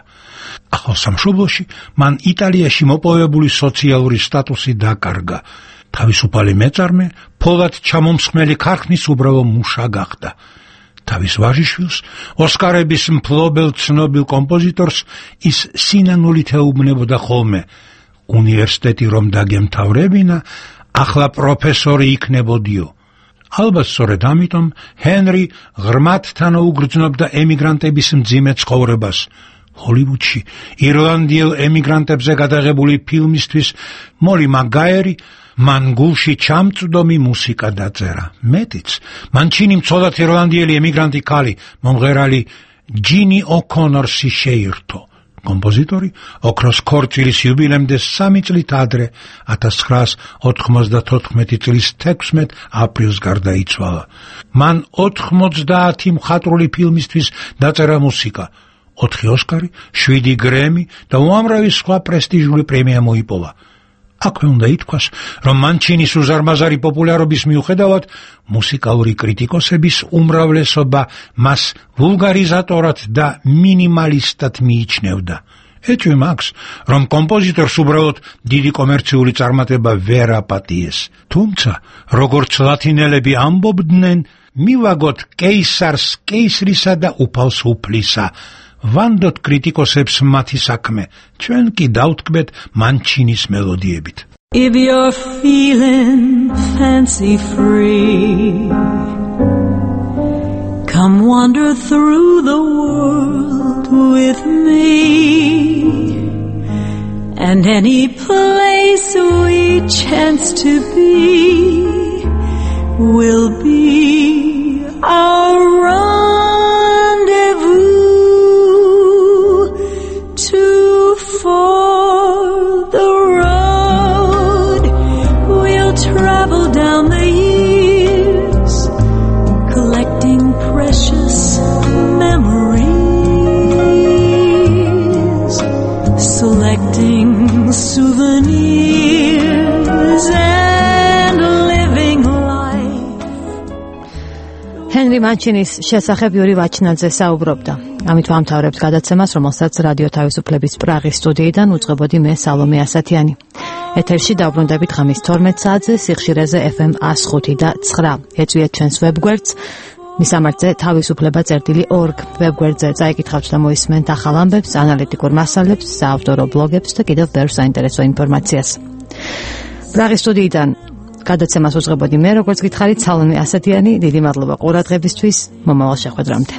ახალ სამშობლოში მან იტალიაში მოპოვებული სოციალური სტატუსი დაკარგა. თავისუფალი მეწარმე, ფოლად ჩამომსხმელი ქარხნის უბრალო მუშა გახდა. თავის ვაჟიშვილს, ოსკარების მფლობელ ცნობილ კომპოზიტორს ის სინანულით ეუბნებოდა ხოლმე. უნივერსიტეტი რომ დაგემთავრებინა, ახლა პროფესორი იქნებოდიო. ალბათ სწორედ ამიტომ ჰენრი ღრმად თანაუგრძნობდა ემიგრანტების მძიმე ცხოვრებას. ჰოლივუდში ირლანდიელ ემიგრანტებზე გადაღებული ფილმისთვის მოლი მაგაერი მან გულში ჩამწვდომი მუსიკა დაწერა. მეტიც, მანჩინი მცოდად ირლანდიელი ემიგრანტი ქალი, მომღერალი ჯინი ო'ქონორსი შეირთო. კომპოზიტორი ოქროს ქორწილის იუბილემდე სამი წლით ადრე ათას ცხრაას ოთხმოცდათოთხმეტი წლის თექვსმეტ აპრილს გარდაიცვალა. მან ოთხმოცდაათი მხატვრული ფილმისთვის დაწერა მუსიკა, ოთხი ოსკარი, შვიდი გრემი და უამრავი სხვა პრესტიჟული პრემია მოიპოვა. აქვე უნდა ითქვას, რომ მანჩინის უზარმაზარი პოპულარობის მიუხედავად მუსიკალური კრიტიკოსების უმრავლესობა მას ვულგარიზატორად და მინიმალისტად მიიჩნევდა. ეჭვი მაქვს, რომ კომპოზიტორს უბრალოდ დიდი კომერციული წარმატება ვერ აპატიეს. თუმცა, როგორც ლათინელები ამბობდნენ, მივაგოთ კეისარს კეისრისა და უფალს უფლისა. ვანდოთ კრიტიკოსებს მათი საქმე, ჩვენ კი დავთქმეთ მანჩინის მელოდიებით. If you're feeling fancy free, come wander through the world with me, and any place we chance to be will be our rendezvous. Too far the road, we'll travel down the years, collecting precious memories, selecting souvenirs and living life. Henry Manchinis შესახებ იური ვაჩნაძე საუბრობდა. ამით ვამთავრებთ გადაცემას, რომელსაც რადიო თავისუფლების პრაღის სტუდიიდან უწყებოდი მე სალომე ასათიანი. ეთერში დავბრუნდებით ღამის თორმეტ საათზე სიხშირეზე ეფ ემ εκατო ხუთი და ცხრა. ეწვიეთ ჩვენს ვებგვერდს მისამართზე თავისუფლება წერტილი ორგ ვებგვერდზე წაიკითხავთ და მოისმენთ ახალ ამბებს, ანალიტიკურ მასალებს, საავტორო ბლოგებს და კიდევ ბევრ საინტერესო ინფორმაციას. პრაღის სტუდიიდან გადაცემას უწყებოდი მე, როგორც გითხარით, სალომე ასათიანი. დიდი მადლობა ყურადღებისთვის. მომავალ შეხვედრამდე.